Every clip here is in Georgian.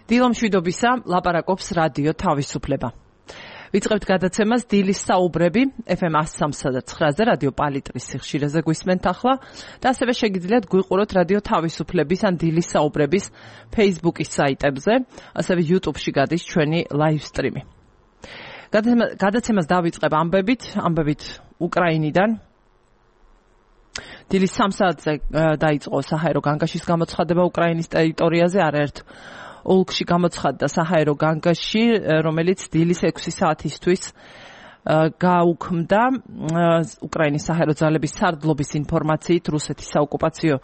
დილამშვიდობისა, ლაპარაკობს რადიო თავისუფლება. ვიწყებთ გადაცემას დილის საუბრები FM 103.9-ზე რადიო პალიტრის სიხშირეზე გვისმენთ ახლა და ასევე შეგიძლიათ გვიყუროთ რადიო თავისუფლების ან დილის საუბრების Facebook-ის საიტებზე, ასევე YouTube-ში გადის ჩვენი live stream-ი. გადაცემას დავიწყებ ამბებით უკრაინიდან. დილის 3 საათზე დაიწყო საჰაერო განგაშის გამოცხადება უკრაინის ტერიტორიაზე, არაერთ ოლქში გამოცხადდა საჰაერო განგაში, რომელიც დილის 6 საათისთვის გაუქმდა უკრაინის საჰაერო ძალების სარდლობის ინფორმაციით რუსეთის საოკუპაციო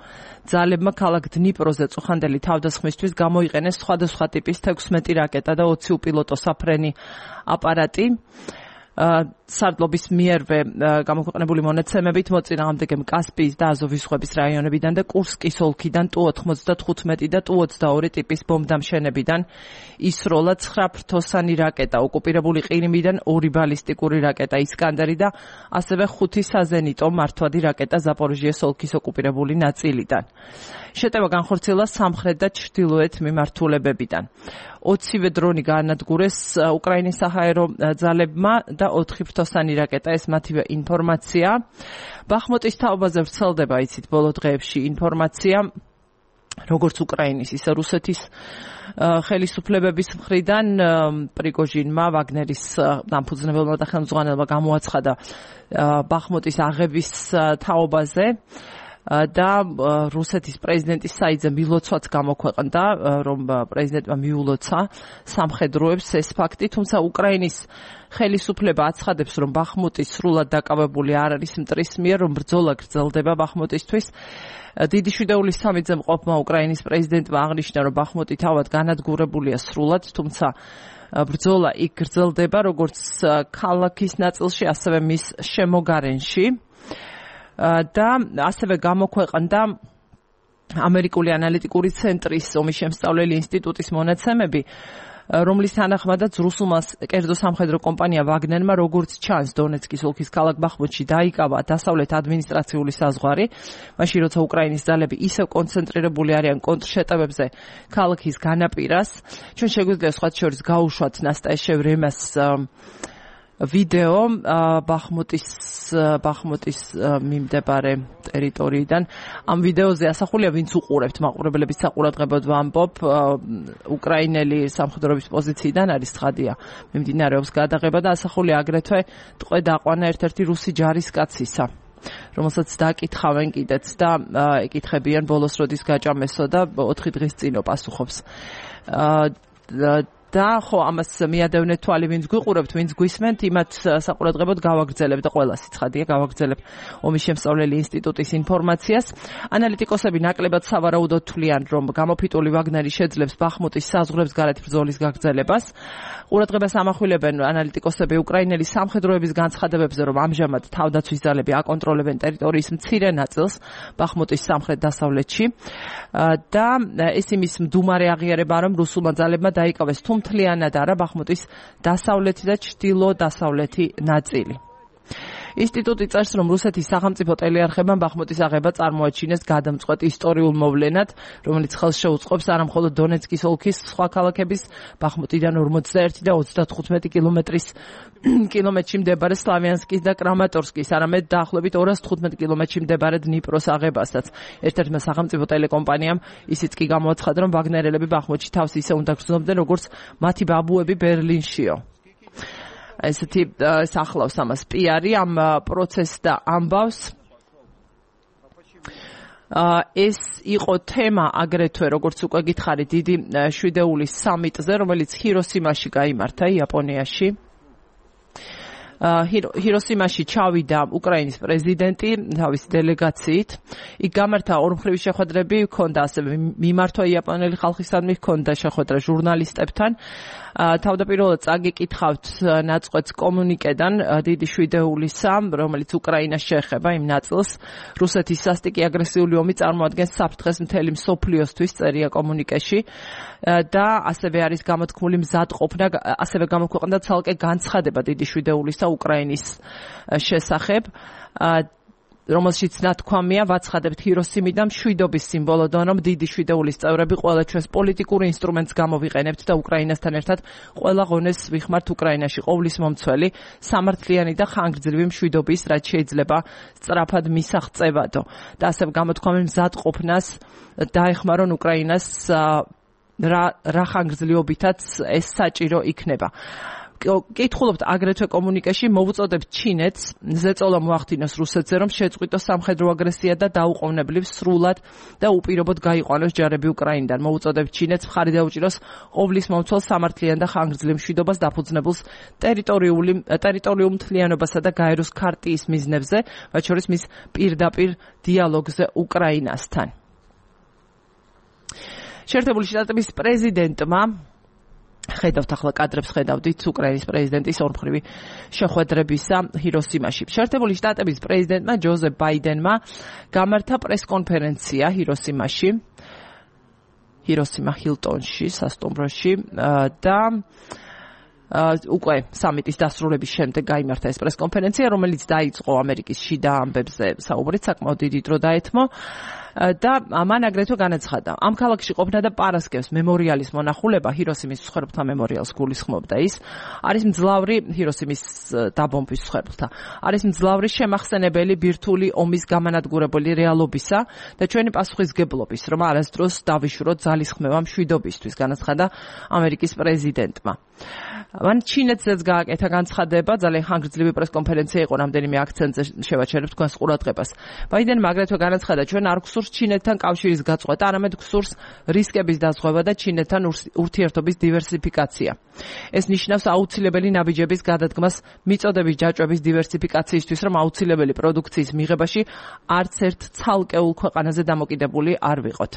ძალებმა ქალაქ დნიპროზე წუხანდელი თავდასხმისთვის გამოიყენეს სხვადასხვა ტიპის 16 რაკეტა და 20 უპილოტო საფრენი აპარატი. სარდლობის მიერვე გამოქვეყნებული მონაცემებით მოწინააღმდეგემ კასპიის და აზოვის ზღვების რაიონებიდან და კურსკის ოლქიდან Tu-95 და Tu-22 ტიპის ბომბდამშენებიდან ისროლა 9 ფრთოსანი რაკეტა, ოკუპირებული ყირიმიდან 2 ბალისტიკური რაკეტა ისკანდერი და ასევე 5 საზენიტო მართვადი რაკეტა ზაპოროჟიეს ოლქის ოკუპირებული ნაწილიდან. შეტევა განხორციელა სამხრეთ და ჩრდილოეთ მიმართულებებიდან. 20 დრონი გაანადგურეს უკრაინის საჰაერო ძალებმა და 4 ფრთოსანი რაკეტა, ეს მათივე ინფორმაცია. ბახმუტის თაობაზე ვრცელდება, იცით, ბოლო დღეებში ინფორმაცია, როგორც უკრაინის, ისე რუსეთის ხელისუფლებების მხრიდან პრიგოჟინმა, ვაგნერის დამფუძნებელმა და ხელმძღვანელმა გამოაცხადა ბახმუტის აღების თაობაზე. და რუსეთის პრეზიდენტის საიტზე მილოცვაც გამოქვეყნდა, რომ პრეზიდენტმა მიულოცა სამხედროებს ეს ფაქტი, თუმცა უკრაინის ხელისუფლება აცხადებს, რომ ბახმუტი სრულად დაკავებული არ არის მტრის მიერ, რომ ბრძოლა გრძელდება ბახმუტისთვის. დიდი შვიდეულის სამიძე მყოფმა უკრაინის პრეზიდენტმა აღნიშნა, რომ ბახმუტი თავად განადგურებულია სრულად, თუმცა ბრძოლა იქ გრძელდება როგორც ქალაქის ნაწილში, ასევე მის შემოგარენში. და ასევე გამოქვეყნდა ამერიკული ანალიტიკური ცენტრის ომის შემსწავლელი ინსტიტუტის მონაცემები, რომლის თანახმადაც რუსულმა კერძო სამხედრო კომპანია ვაგნერმა, როგორც ჩანს, დონეცკის ოლქის ქალაქ ბახმუტში დაიკავა დასავლეთ ადმინისტრაციული საზღვარი, მაშინ როცა უკრაინის ძალები ისევ კონცენტრირებული არიან კონტრშეტევებზე ქალაქის განაპირას. ჩვენ შეგვიძლია სხვათა შორის გაუშვათ ნასტაიშე ვრემას ვიდეო ბახმუტის მიმდებარე ტერიტორიიდან. ამ ვიდეოზე ასახულია, ვინც უყურებთ, მაყურებლების საყურადღებოდ ვამბობ, უკრაინელი სამხედროების პოზიციიდან არის ცხადია მიმდინარეობს გადაღება და ასახულია აგრეთვე ტყვე დაყვანა ერთ-ერთი რუსი ჯარისკაცისა, რომელსაც დაკითხავენ კიდეც და ეკითხებიან ბოლოს როდის გაჭამესო და 4 დღის წინ პასუხობს. და ხო, ამას მიადევნეთ თვალი, ვინც გვიყურებთ, ვინც გვისმენთ, იმათ საყურადღებოდ გავაგრძელებ და ყველა სიცხადია გავაგრძელებ ომის შემსწავლელი ინსტიტუტის ინფორმაციას. ანალიტიკოსები ნაკლებად სავარაუდოდ თვლიან, რომ გამოფიტული ვაგნერი შეძლებს ბახმუტის საზღვრებს გარეთ ბრძოლის გაგრძელებას. ყურადღებას ამახვილებენ ანალიტიკოსები უკრაინელი სამხედროების განცხადებებზე, რომ ამჟამად თავდაცვის ძალები აკონტროლებენ ტერიტორიის მცირე ნაწილს ბახმუტის სამხრეთ-დასავლეთში და ეს იმის მდუმარე აღიარება, რომ რუსულმა ძალებმა დაიკავეს თლიანად არა ბახმუტის დასავლეთი და ჩრდილო-დასავლეთი ნაწილი. ინსტიტუტი წერს, რომ რუსეთის სახელმწიფო ტელეარხებმა ბახმუტის აღება წარმოაჩინეს გადამწყვეტ ისტორიულ მოვლენად, რომელიც ხელს შეუწყობს არა მხოლოდ დონეცკის ოლქის სხვა ქალაქების ბახმუტიდან 41 და 35 კილომეტრში მდებარე სლავიანსკის და კრამატორსკის, არამედ დაახლოებით 215 კილომეტრში მდებარე დნიპროს აღებასაც. ერთ-ერთმა სახელმწიფო ტელეკომპანიამ ისიც კი გამოაცხადა, რომ ვაგნერელები ბახმუტში თავს ისე უნდა გრძნობდნენ, როგორც მათი ბაბუები ბერლინშიო. ესეთი ახლავს ამას პიარი ამ პროცესს და ამბავს. ეს იყო თემა აგრეთვე, როგორც უკვე გითხარით, დიდი შვიდეულის სამიტზე, რომელიც ჰიროსიმაში გაიმართა, იაპონიაში. ჰიროსიმაში ჩავიდა უკრაინის პრეზიდენტი თავისი დელეგაციით. იქ გამართა ორმხრივი შეხვედრები, ჰქონდა ასევე მიმართვა იაპონელი ხალხისადმი, ჰქონდა შეხვედრა ჟურნალისტებთან. თავდაპირველად წაგიკითხავთ ნაწყვეტს კომუნიკედან დიდი შვიდეულისა, რომელიც უკრაინას შეეხება იმ ნაწილს. რუსეთის სასტიკი აგრესიული ომი წარმოადგენს საფრთხეს მთელი მსოფლიოსთვის, წერია კომუნიკეში და ასევე არის გამოთქმული მზადყოფნა, ასევე გამოქვეყნდა ცალკე განცხადება დიდი შვიდეულისა უკრაინის შესახებ. რომელშიც ნათქვამია ვაცხადებთ ჰიროსიმიდან მშვიდობის სიმბოლოდან, რომ დიდი შვიდეულის წევრები ყველა ჩვენს პოლიტიკურ ინსტრუმენტს გამოვიყენებთ და უკრაინასთან ერთად ყველა ღონეს ვიხმართ უკრაინაში ყოვლის მომცველი, სამართლიანი და ხანგრძლივი მშვიდობის, რაც შეიძლება სწრაფად მისაღწევადო. და ასევე გამოთქვამენ მზადყოფნას დაეხმარონ უკრაინას რა ხანგრძლივობითაც ეს საჭირო იქნება. კითხულობთ აგრეთვე კომუნიკეში მოვუწოდებთ ჩინეთს ზეწოლა მოახდინოს რუსეთზე, რომ შეწყვიტოს სამხედრო აგრესია და დაუყოვნებლივ სრულად და უპირობოდ გაიყვანოს ჯარები უკრაინიდან. მოვუწოდებთ ჩინეთს მხარი დაუჭიროს ყოვლის მომცველ სამართლიან და ხანგრძლივ მშვიდობას დაფუძნებულს ტერიტორიულ მთლიანობასა და გაეროს ქარტიის მიზნებზე, მათ შორის მის პირდაპირ დიალოგზე უკრაინასთან. შეერთებული შტატების პრეზიდენტმა ხედავთ ახლა კადრებს ხედავდით უკრაინის პრეზიდენტის ორმხრივი შეხვედრებისა ჰიროსიმაში. შეერთებული შტატების პრეზიდენტმა ჯოზეფ ბაიდენმა გამართა პრესკონფერენცია ჰიროსიმა ჰილტონში, სასტუმროში და უკვე სამიტის დასრულების შემდეგ გაიმართა ეს პრესკონფერენცია, რომელიც დაიწყო ამერიკის შიდა ამბებზე საუბრით, საკმაოდ დიდი დრო დაეთმო. და მან აგრეთვე განაცხადა, ამ ქალაქში ყოფნა და პარასკევს მემორიალის მონახულება, ჰიროსიმის მსხვერპლთა მემორიალს გულისხმობდა ის, არის მძლავრი ჰიროსიმის დაბომბვის მსხვერპლთა, არის მძლავრი შემახსენებელი ბირთვული ომის გამანადგურებელი რეალობისა და ჩვენი პასუხისგებლობის, რომ არასდროს დავიშუროთ ძალისხმევა მშვიდობისთვის, განაცხადა ამერიკის პრეზიდენტმა. მან ჩინეთზეც გააკეთა განცხადება, ძალიან ხანგრძლივი პრესკონფერენცია იყო, რამდენიმე აქცენტზე შევაჩერებთ თქვენს ყურადღებას. ბაიდენმა აგრეთვე განაცხადა, ჩვენ არ გსურს ჩინეთთან კავშირის გაწყვეტა, არამედ გსურს რისკების დაზღვევა და ჩინეთთან ურთიერთობის დივერსიფიკაცია. ეს ნიშნავს აუცილებელი ნაბიჯების გადადგმას მიწოდების ჯაჭვების დივერსიფიკაციისთვის, რომ აუცილებელი პროდუქციის მიღებაში არც ერთ ცალკეულ ქვეყანაზე დამოკიდებული არ ვიყოთ.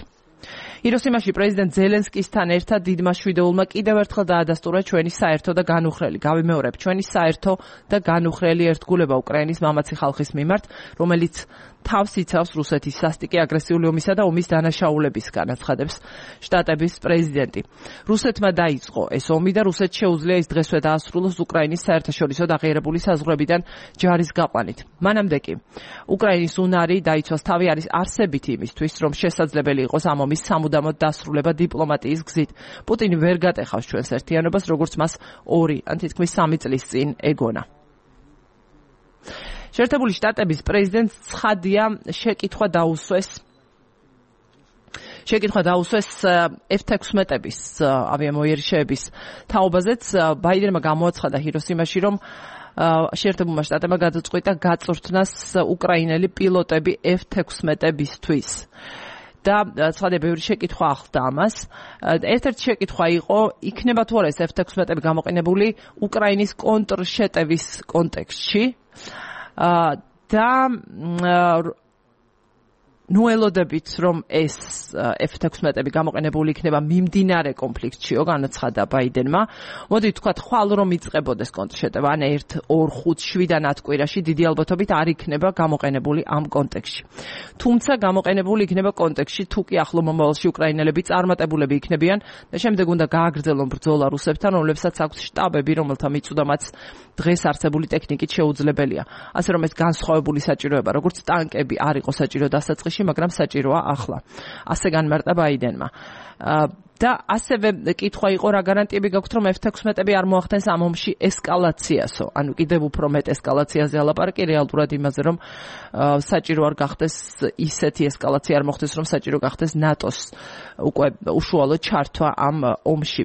ჰიროსიმაში პრეზიდენტ ზელენსკისთან ერთად დიდმა შვიდეულმა კიდევ ერთხელ დაადასტურა ჩვენი საერთო და განუხრელი, გავიმეორებ, ჩვენი საერთო და განუხრელი ერთგულება უკრაინის მამაცი ხალხის მიმართ, რომელიც თავს იცავს რუსეთის სასტიკი აგრესიული ომისა და ომის დანაშაულებისგან, აცხადებს შტატების პრეზიდენტი. რუსეთმა დაიწყო ეს ომი და რუსეთს შეუძლია ის დღესვე დაასრულოს უკრაინის საერთაშორისო დაღიარებული საზღვრებიდან ჯარის გაყვანით. მანამდე კი უკრაინის უნარი დაიცვას თავი არის არსებითი იმისთვის, რომ შესაძლებელი იყოს ამ ომის სამუდამოდ დასრულება დიპლომატიის გზით. პუტინი ვერ გატეხავს ჩვენს ერთიანობას, როგორც მას 2 ან თითქმის 3 წლის წინ ეგონა. შეერთებული შტატების პრეზიდენტს ცხადია შეკითხვა დაუსვეს F-16-ების ავიამოიერიშეების თაობაზეც. ბაიდენმა გამოაცხადა ჰიროსიმაში, რომ შეერთებულმა შტატებმა გადაწყვიტა გაწვრთნას უკრაინელი პილოტები F-16-ებისთვის. და ცხადია ბევრი შეკითხვა ახლდა ამას. ერთ-ერთი შეკითხვა იყო, იქნება თუ არა ეს F-16-ები გამოყენებული უკრაინის კონტრშეტევის კონტექსტში. და ნუ ელოდებით, რომ ეს F-16-ები გამოყენებული იქნება მიმდინარე კონფლიქტშიო, განაცხადა ბაიდენმა. მოდით ვთქვათ, ხვალ რომ იწყებოდეს კონტრშეტევა, ან 1, 2, 5, 7 ათკვირაში დიდი ალბათობით არ იქნება გამოყენებული ამ კონტექსტში. თუმცა გამოყენებული იქნება კონტექსტში, თუ კი ახლო მომავალში უკრაინელები წარმატებულები იქნებიან და შემდეგ უნდა გააგრძელონ ბრძოლა რუსებთან, რომლებსაც აქვს შტაბები, რომელთა მიწვდამაც დღეს არსებული ტექნიკით შეუძლებელია. ასე რომ ეს განსხვავებული საჭიროება, როგორც ტანკები არ იყო საჭირო დასაწყისში, მაგრამ საჭიროა ახლა. ასე განმარტა ბაიდენმა. და ასევე კითხვა იყო, რა გარანტიები გაქვთ, რომ F-16-ები არ მოახდენს ამ ომში ესკალაციასო. ანუ კიდევ უფრო მეტ ესკალაციაზე ალაპარაკი, რეალურად იმაზე, რომ საჭირო არ გახდეს ისეთი ესკალაცია არ მოხდეს, რომ საჭირო გახდეს ნატოს უკვე უშუალო ჩართვა ამ ომში.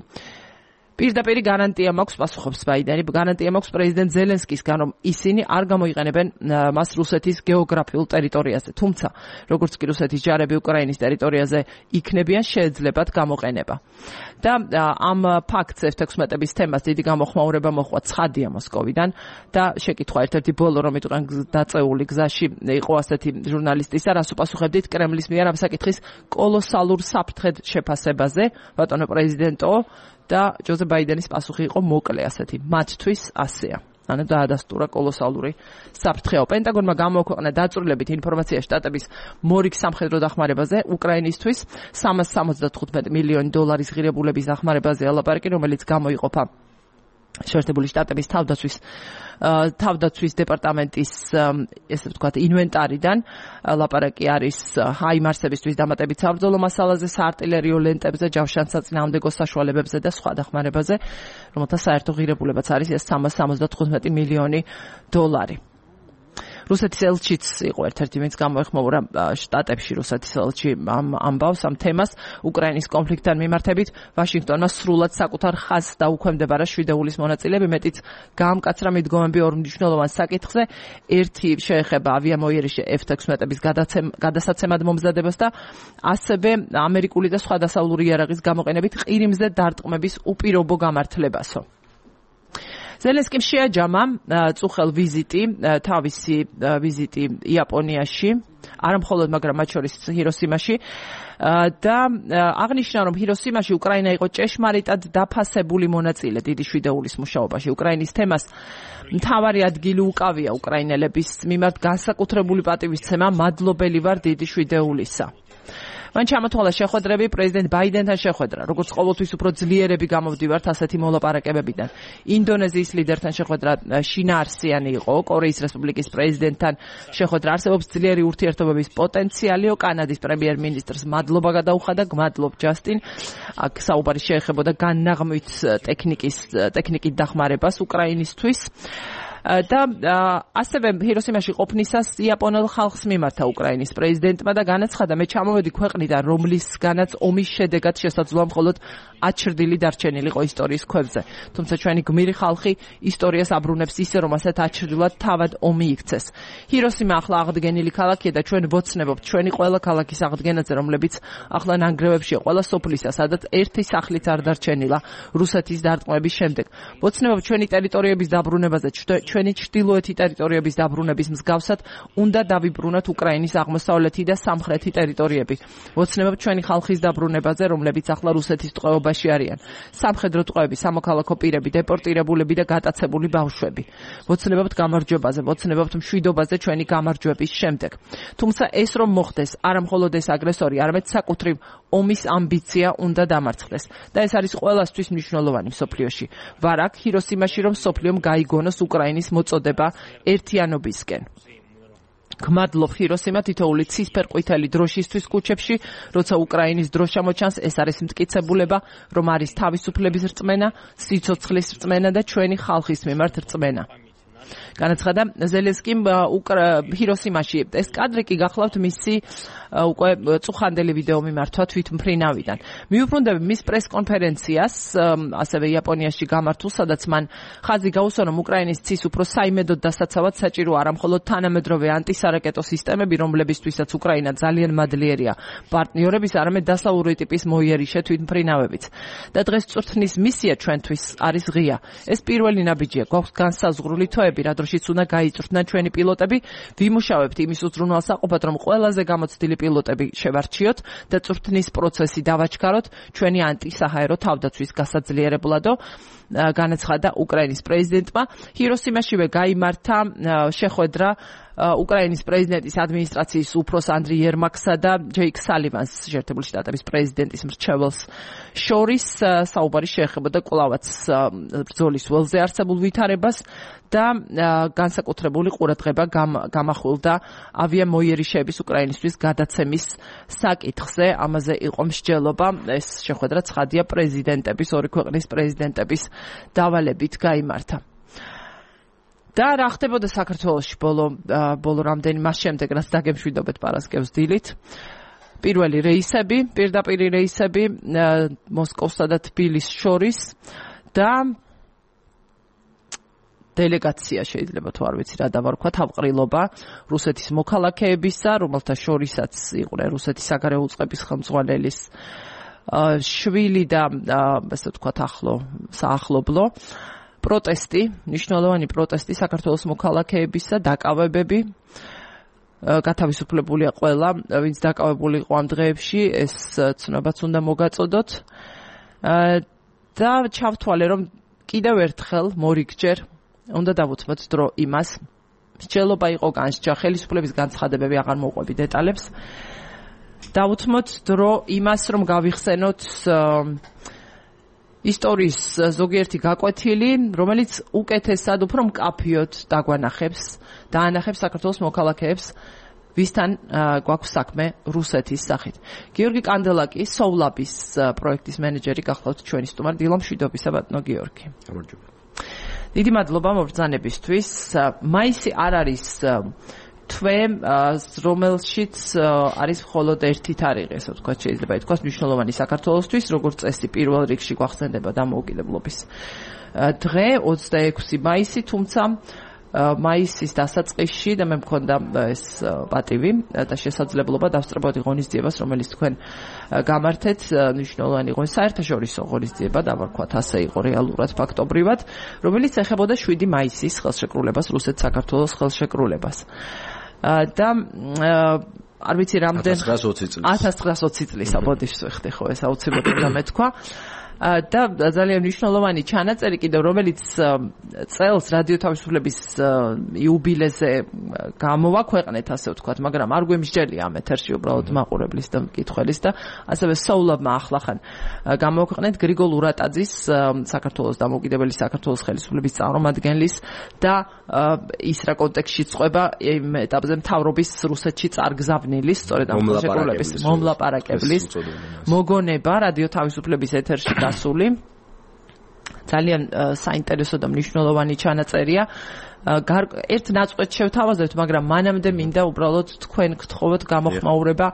პირდაპირ გარანტია მაქვს, პასუხობს ბაიდენი, გარანტია მაქვს პრეზიდენტ ზელენსკისგან, რომ ისინი არ გამოიყენებენ მას რუსეთის გეოგრაფიულ ტერიტორიაზე. თუმცა, როგორც კი რუსეთის ჯარები უკრაინის ტერიტორიაზე იქნებიან, შეეძლებათ გამოყენება. და ამ ფაქტს F-16-ების თემას დიდი გამოხმაურება მოჰყვა ცხადია მოსკოვიდან და შეკითხვა ერთ-ერთი ბოლო რომ იტყვიან დაწეული გზაში იყო ასეთი ჟურნალისტისა, რას უპასუხებდით კრემლის მიერ ამ საკითხის კოლოსალურ საფრთხედ შეფასებაზე, ბატონო პრეზიდენტო, და ჯოზეფ ბაიდენის პასუხი იყო მოკლე ასეთი, მათთვის ასეა. ანუ დაადასტურა კოლოსალური საფრთხეა. პენტაგონმა გამოაქვეყნა დაწვრილებით ინფორმაცია შტატების მორიგ სამხედრო დახმარებაზე უკრაინისთვის, $375 მილიონი ღირებულების დახმარებაზე ალაპარაკი, რომელიც გამოიყოფა შეერთებული შტატების თავდაცვის დეპარტამენტის ესე ვთქვათ ინვენტარიდან ლაპარაკი არის ჰაიმარსებისთვის დამატებით საბრძოლო მასალაზე, საარტილერიო ლენტებზე, ჯავშანსაწინააღმდეგო საშუალებებზე და სხვა დახმარებაზე, რომელთა საერთო ღირებულებაც არის ეს 375 მილიონი დოლარი. რუსეთის ელჩიც იყო ერთ-ერთი, ვინც გამოეხმაურა შტატებში რუსეთის ელჩი ამბავს ამ თემას. უკრაინის კონფლიქტთან მიმართებით ვაშინგტონმა სრულად საკუთარ ხაზს დაუქვემდებარა შვიდეულის მონაწილეები, მეტიც გაამკაცრა მიდგომები ორ მნიშვნელოვან საკითხზე. ერთი შეეხება ავიამოიერიშე F-16-ების გადასაცემად მომზადებას და ასევე ამერიკული და სხვა დასავლური იარაღის გამოყენებით ყირიმზე დარტყმების უპირობო გამართლებასო. ზელენსკიმ შეაჯამა წუხელ თავისი ვიზიტი იაპონიაში, არა მხოლოდ, მაგრამ მათ შორის ჰიროსიმაში და აღნიშნა, რომ ჰიროსიმაში უკრაინა იყო ჭეშმარიტად დაფასებული მონაწილე დიდი შვიდეულის მუშაობაში. უკრაინის თემას მთავარი ადგილი უკავია უკრაინელების მიმართ განსაკუთრებული პატივისცემა, მადლობელი ვარ დიდი შვიდეულისა. მან ჩამოთვალა შეხვედრები პრეზიდენტ ბაიდენთან შეხვედრა, როგორც ყოველთვის უფრო ძლიერები გამოვდივართ ასეთი მოლაპარაკებებიდან. ინდონეზიის ლიდერთან შეხვედრა შინაარსიანი იყო, კორეის რესპუბლიკის პრეზიდენტთან შეხვედრა არსებობს ძლიერი ურთიერთობების პოტენციალიო, კანადის პრემიერ-მინისტრს მადლობა გადაუხადა, გმადლობ ჯასტინ. აქ საუბარი შეეხებოდა განაღმვით ტექნიკით დახმარებას უკრაინისთვის. და ასევე ჰიროსიმაში ყოფნისას იაპონელ ხალხს მიმართა უკრაინის პრეზიდენტმა და განაცხადა, მე ჩამოვედი ქვეყნიდან, რომლისგანაც ომის შედეგად შესაძლოა მხოლოდ აჩრდილი დარჩენილიყო ისტორიის ქვებზე. თუმცა ჩვენი გმირი ხალხი ისტორიას აბრუნებს ისე, რომ ასეთ აჩრდილად თავად ომი იქცეს. ჰიროსიმა ახლა აღდგენილი ქალაქია და ჩვენ ვოცნებობთ ჩვენი ყველა ქალაქის აღდგენაზე, რომლებიც ახლა ნანგრევებშია ყველა სოფლისა, სადაც ერთი სახლიც არ დარჩენილა რუსეთის დარტყმების შემდეგ. ვოცნებობთ ჩვენი ტერიტორიების დაბრუნებაზე, ჩვენი ჩრდილოეთი ტერიტორიების დაბრუნების მსგავსად უნდა დავიბრუნოთ უკრაინის აღმოსავლეთი და სამხრეთი ტერიტორიები. ვოცნებობთ ჩვენი ხალხის დაბრუნებაზე, რომლებიც ახლა რუსეთის ტყვეობაში არიან. სამხედრო ტყვეები, სამოქალაქო პირები, დეპორტირებულები და გატაცებული ბავშვები. ვოცნებობთ გამარჯვებაზე, ვოცნებობთ მშვიდობაზე ჩვენი გამარჯვების შემდეგ. თუმცა ეს რომ მოხდეს, არა მხოლოდ ეს აგრესორი, არამედ საკუთრივ ომის ამბიცია უნდა დამარცხდეს. და ეს არის ყველასთვის მნიშვნელოვანი მსოფლიოში. ვარ აქ ჰიროსიმაში, რომ მსოფლიომ გაიგონოს უკრაინის მოწოდება ერთიანობისკენ. გმადლობ ჰიროსიმა თითოეული ცისფერ-ყვითელი დროშისთვის კუჩებში, როცა უკრაინის დრო ჩამოჩანს, ეს არის მტკიცებულება, რომ არის თავისუფლების რწმენა, სიცოცხლის რწმენა და ჩვენი ხალხის მიმართ რწმენა. განაცხადა ზელენსკიმ ჰიროსიმაში. ეს კადრი კი გახლავთ მისი უკვე წუხანდელი ვიდეო მიმართვა თვითმფრინავიდან. მიუბრუნდები მის პრეს-კონფერენციას, ასევე იაპონიაში გამართულ, სადაც მან ხაზი გაუსვა, რომ უკრაინის ცის უფრო საიმედოდ დასაცავად საჭირო არა მხოლოდ თანამედროვე ანტისარაკეტო სისტემები, რომლებისთვისაც უკრაინა ძალიან მადლიერია პარტნიორების, არამედ დასავლური ტიპის მოიერიშე თვითმფრინავებიც. და დღეს წვრთნის მისია ჩვენთვის არის ღია. ეს პირველი ნაბიჯია, გვაქვს განსაზღვრული თვეები, რა დროშიც უნდა გაიწვრთნან ჩვენი პილოტები, ვიმუშავებთ იმის უზრუნველსაყოფად, რომ ყველაზე გამოცდილი პილოტები შევარჩიოთ და წვრთნის პროცესი დავაჩქაროთ ჩვენი ანტისაჰაერო თავდაცვის გასაძლიერებლადო. განაცხადა უკრაინის პრეზიდენტმა. ჰიროსიმაშივე გაიმართა შეხვედრა უკრაინის პრეზიდენტის ადმინისტრაციის უფროს ანდრი ერმაკსა და ჯეიკ სალივანს, შეერთებული შტატების პრეზიდენტის მრჩეველს შორის. საუბარი შეეხებოდა კვლავაც ბრძოლის ველზე არსებულ ვითარებას და განსაკუთრებული ყურადღება გამახვილდა ავიამოიერიშეების უკრაინისთვის გადაცემის საკითხზე. ამაზე იყო მსჯელობა. ეს შეხვედრა ცხადია პრეზიდენტების, ორი ქვეყნის პრეზიდენტების დავალებით გაიმართა. და რა ხდებოდა საქართველოში ბოლო რამდენი მას შემდეგ, რაც დაგემშვიდობეთ პარასკევს დილით. პირველი რეისები, პირდაპირი რეისები მოსკოვსა და თბილისს შორის და დელეგაცია შეიძლება თუ არ ვიცი რა დავარქვა, თავყრილობა რუსეთის მოქალაქეებისა, რომელთა შორისაც იყვნენ რუსეთის საგარეო უწყების ხელმძღვანელის შვილი და ასე ვთქვათ საახლობლო პროტესტი, მნიშვნელოვანი პროტესტი საქართველოს მოქალაქეებისა, დაკავებები. გათავისუფლებულია ყველა, ვინც დაკავებული იყო ამ დღეებში, ეს ცნობაც უნდა მოგაწოდოთ. და ჩავთვალე, რომ კიდევ ერთხელ მორიგჯერ უნდა დავუთმოთ დრო იმას. მსჯელობა იყო განსჯა, ხელისუფლების განცხადებები აღარ მოვყვები დეტალებს. დავუთმოთ დრო იმას, რომ გავიხსენოთ ისტორიის ზოგიერთი გაკვეთილი, რომელიც უკეთესად უფრო მკაფიოდ დაანახებს საქართველოს მოქალაქეებს, ვისთან გვაქვს საქმე რუსეთის სახით. გიორგი კანდელაკი, სოვლაბის პროექტის მენეჯერი, გახლავთ ჩვენი სტუმარი. დილა მშვიდობისა, ბატონო გიორგი. გამარჯობა. დიდი მადლობა მობრძანებისთვის. მაისი არ არის თვე, რომელშიც არის მხოლოდ ერთი თარიღი, ასე ვთქვათ, შეიძლება ითქვას მნიშვნელოვანი საქართველოსთვის, როგორც წესი პირველ რიგში გვახსენდება დამოუკიდებლობის დღე 26 მაისი, თუმცა მაისის დასაწყისში და მე მქონდა ეს პატივი და შესაძლებლობა დავსწრებოდი ღონისძიებას, რომელიც თქვენ გამართეთ, მნიშვნელოვანი საერთაშორისო ღონისძიება, დავარქვათ ასე იყო რეალურად ფაქტობრივად, რომელიც ეხებოდა 7 მაისის ხელშეკრულებას, რუსეთ-საქართველოს ხელშეკრულებას. და არ ვიცი რამდენ 1920 წლის აბოდიშს ვეხდი ხო ეს აუცილებლად და მეთქვა და ძალიან მნიშვნელოვანი ჩანაწერი კიდევ რომელიც წელს რადიო თავისუფლების იუბილეზე გამოვაქვეყნეთ ასე ვთქვათ, მაგრამ არ გვემსჯელია ამ ეთერში უბრალოდ მაყურებლის და მკითხველის და ასევე სოვლაბმა ახლახან გამოვაქვეყნეთ გრიგოლ ურატაძის საქართველოს დამოუკიდებელი საქართველოს ხელისუფლების წარმომადგენლის და ის რა კონტექსტში წყვება იმ ეტაპზე მთავრობის რუსეთში წარგზავნილის, სწორედ ამ ხელშეკრულების მომლაპარაკებლის მოგონება რადიო თავისუფლების ეთერში გასული. ძალიან საინტერესო და მნიშვნელოვანი ჩანაწერია. ერთ ნაწყვეტს შევთავაზებთ, მაგრამ მანამდე მინდა უბრალოდ თქვენ გთხოვოთ გამოხმაურება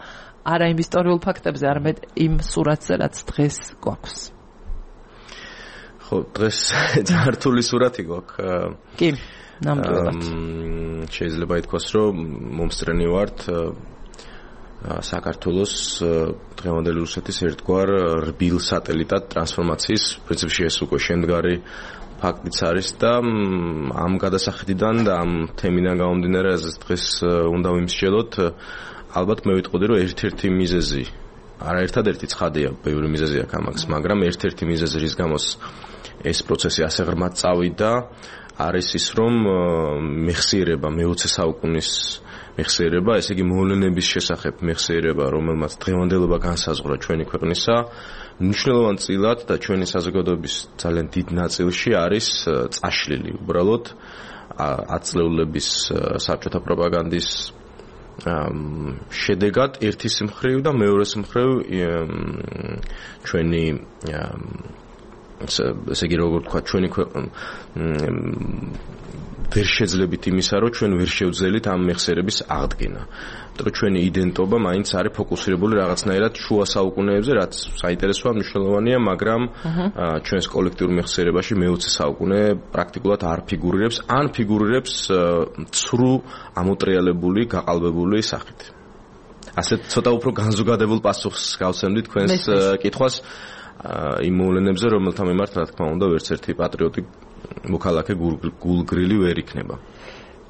არა იმ ისტორიულ ფაქტებზე, არამედ იმ სურათზე, რაც დღეს გვაქვს. ხო, დღეს ძალიან რთული სურათი გვაქვს. კი, ნამდვილად. შეიძლება ითქვას, რომ მომსწრენი ვართ საქართველოს დღევანდელი რუსეთის ერთგვარ რბილ სატელიტად ტრანსფორმაციის, პრინციპში ეს უკვე შემდგარი ფაქტიც არის და ამ გადასახედიდან და ამ თემიდან გამომდინარე, რაზეც დღეს უნდა ვიმსჯელოთ, ალბათ მე ვიტყოდი, რომ ერთ-ერთი მიზეზი, არა ერთადერთი ცხადია, ბევრი მიზეზი აქვს ამას, მაგრამ ერთ-ერთი მიზეზი, რის გამოც ეს პროცესი ასე ღრმად წავიდა, არის ის, რომ მეხსიერება მე-20 საუკუნის მეხსიერება, ესე იგი მოვლენების შესახებ მეხსიერება, რომელმაც დღევანდელობა განსაზღვრა ჩვენი ქვეყნისა, მნიშვნელოვან და ჩვენი საზოგადოების ძალიან დიდ ნაწილში არის წაშლილი. უბრალოდ აწლეულების საბჭოთა პროპაგანდის შედეგად ერთის მხრივ და მეორეს მხრივ ჩვენი ესე იგი როგორ თქვა, ჩვენი ვერ შეძლებით იმისა, რომ ჩვენ ვერ შევძელით ამ მეხსიერების აღდგენა. იმიტომ რომ ჩვენი იდენტობა მაინც არის ფოკუსირებული რაღაცნაირად შუა საუკუნეებზე, რაც საინტერესოა, მნიშვნელოვანია, მაგრამ ჩვენს კოლექტიურ მეხსიერებაში მე-20 საუკუნე პრაქტიკულად არ ფიგურირებს, ან ფიგურირებს ცრუ, ამოტრიალებული, გაყალბებული სახით. ასეთ ცოტა უფრო განზოგადებულ პასუხს გავცემდი თქვენს კითხვას იმ მოვლენებზე, რომელთა მიმართ, რა თქმა უნდა, ვერც ერთი პატრიოტი მოქალაქე გულგრილი ვერ იქნება.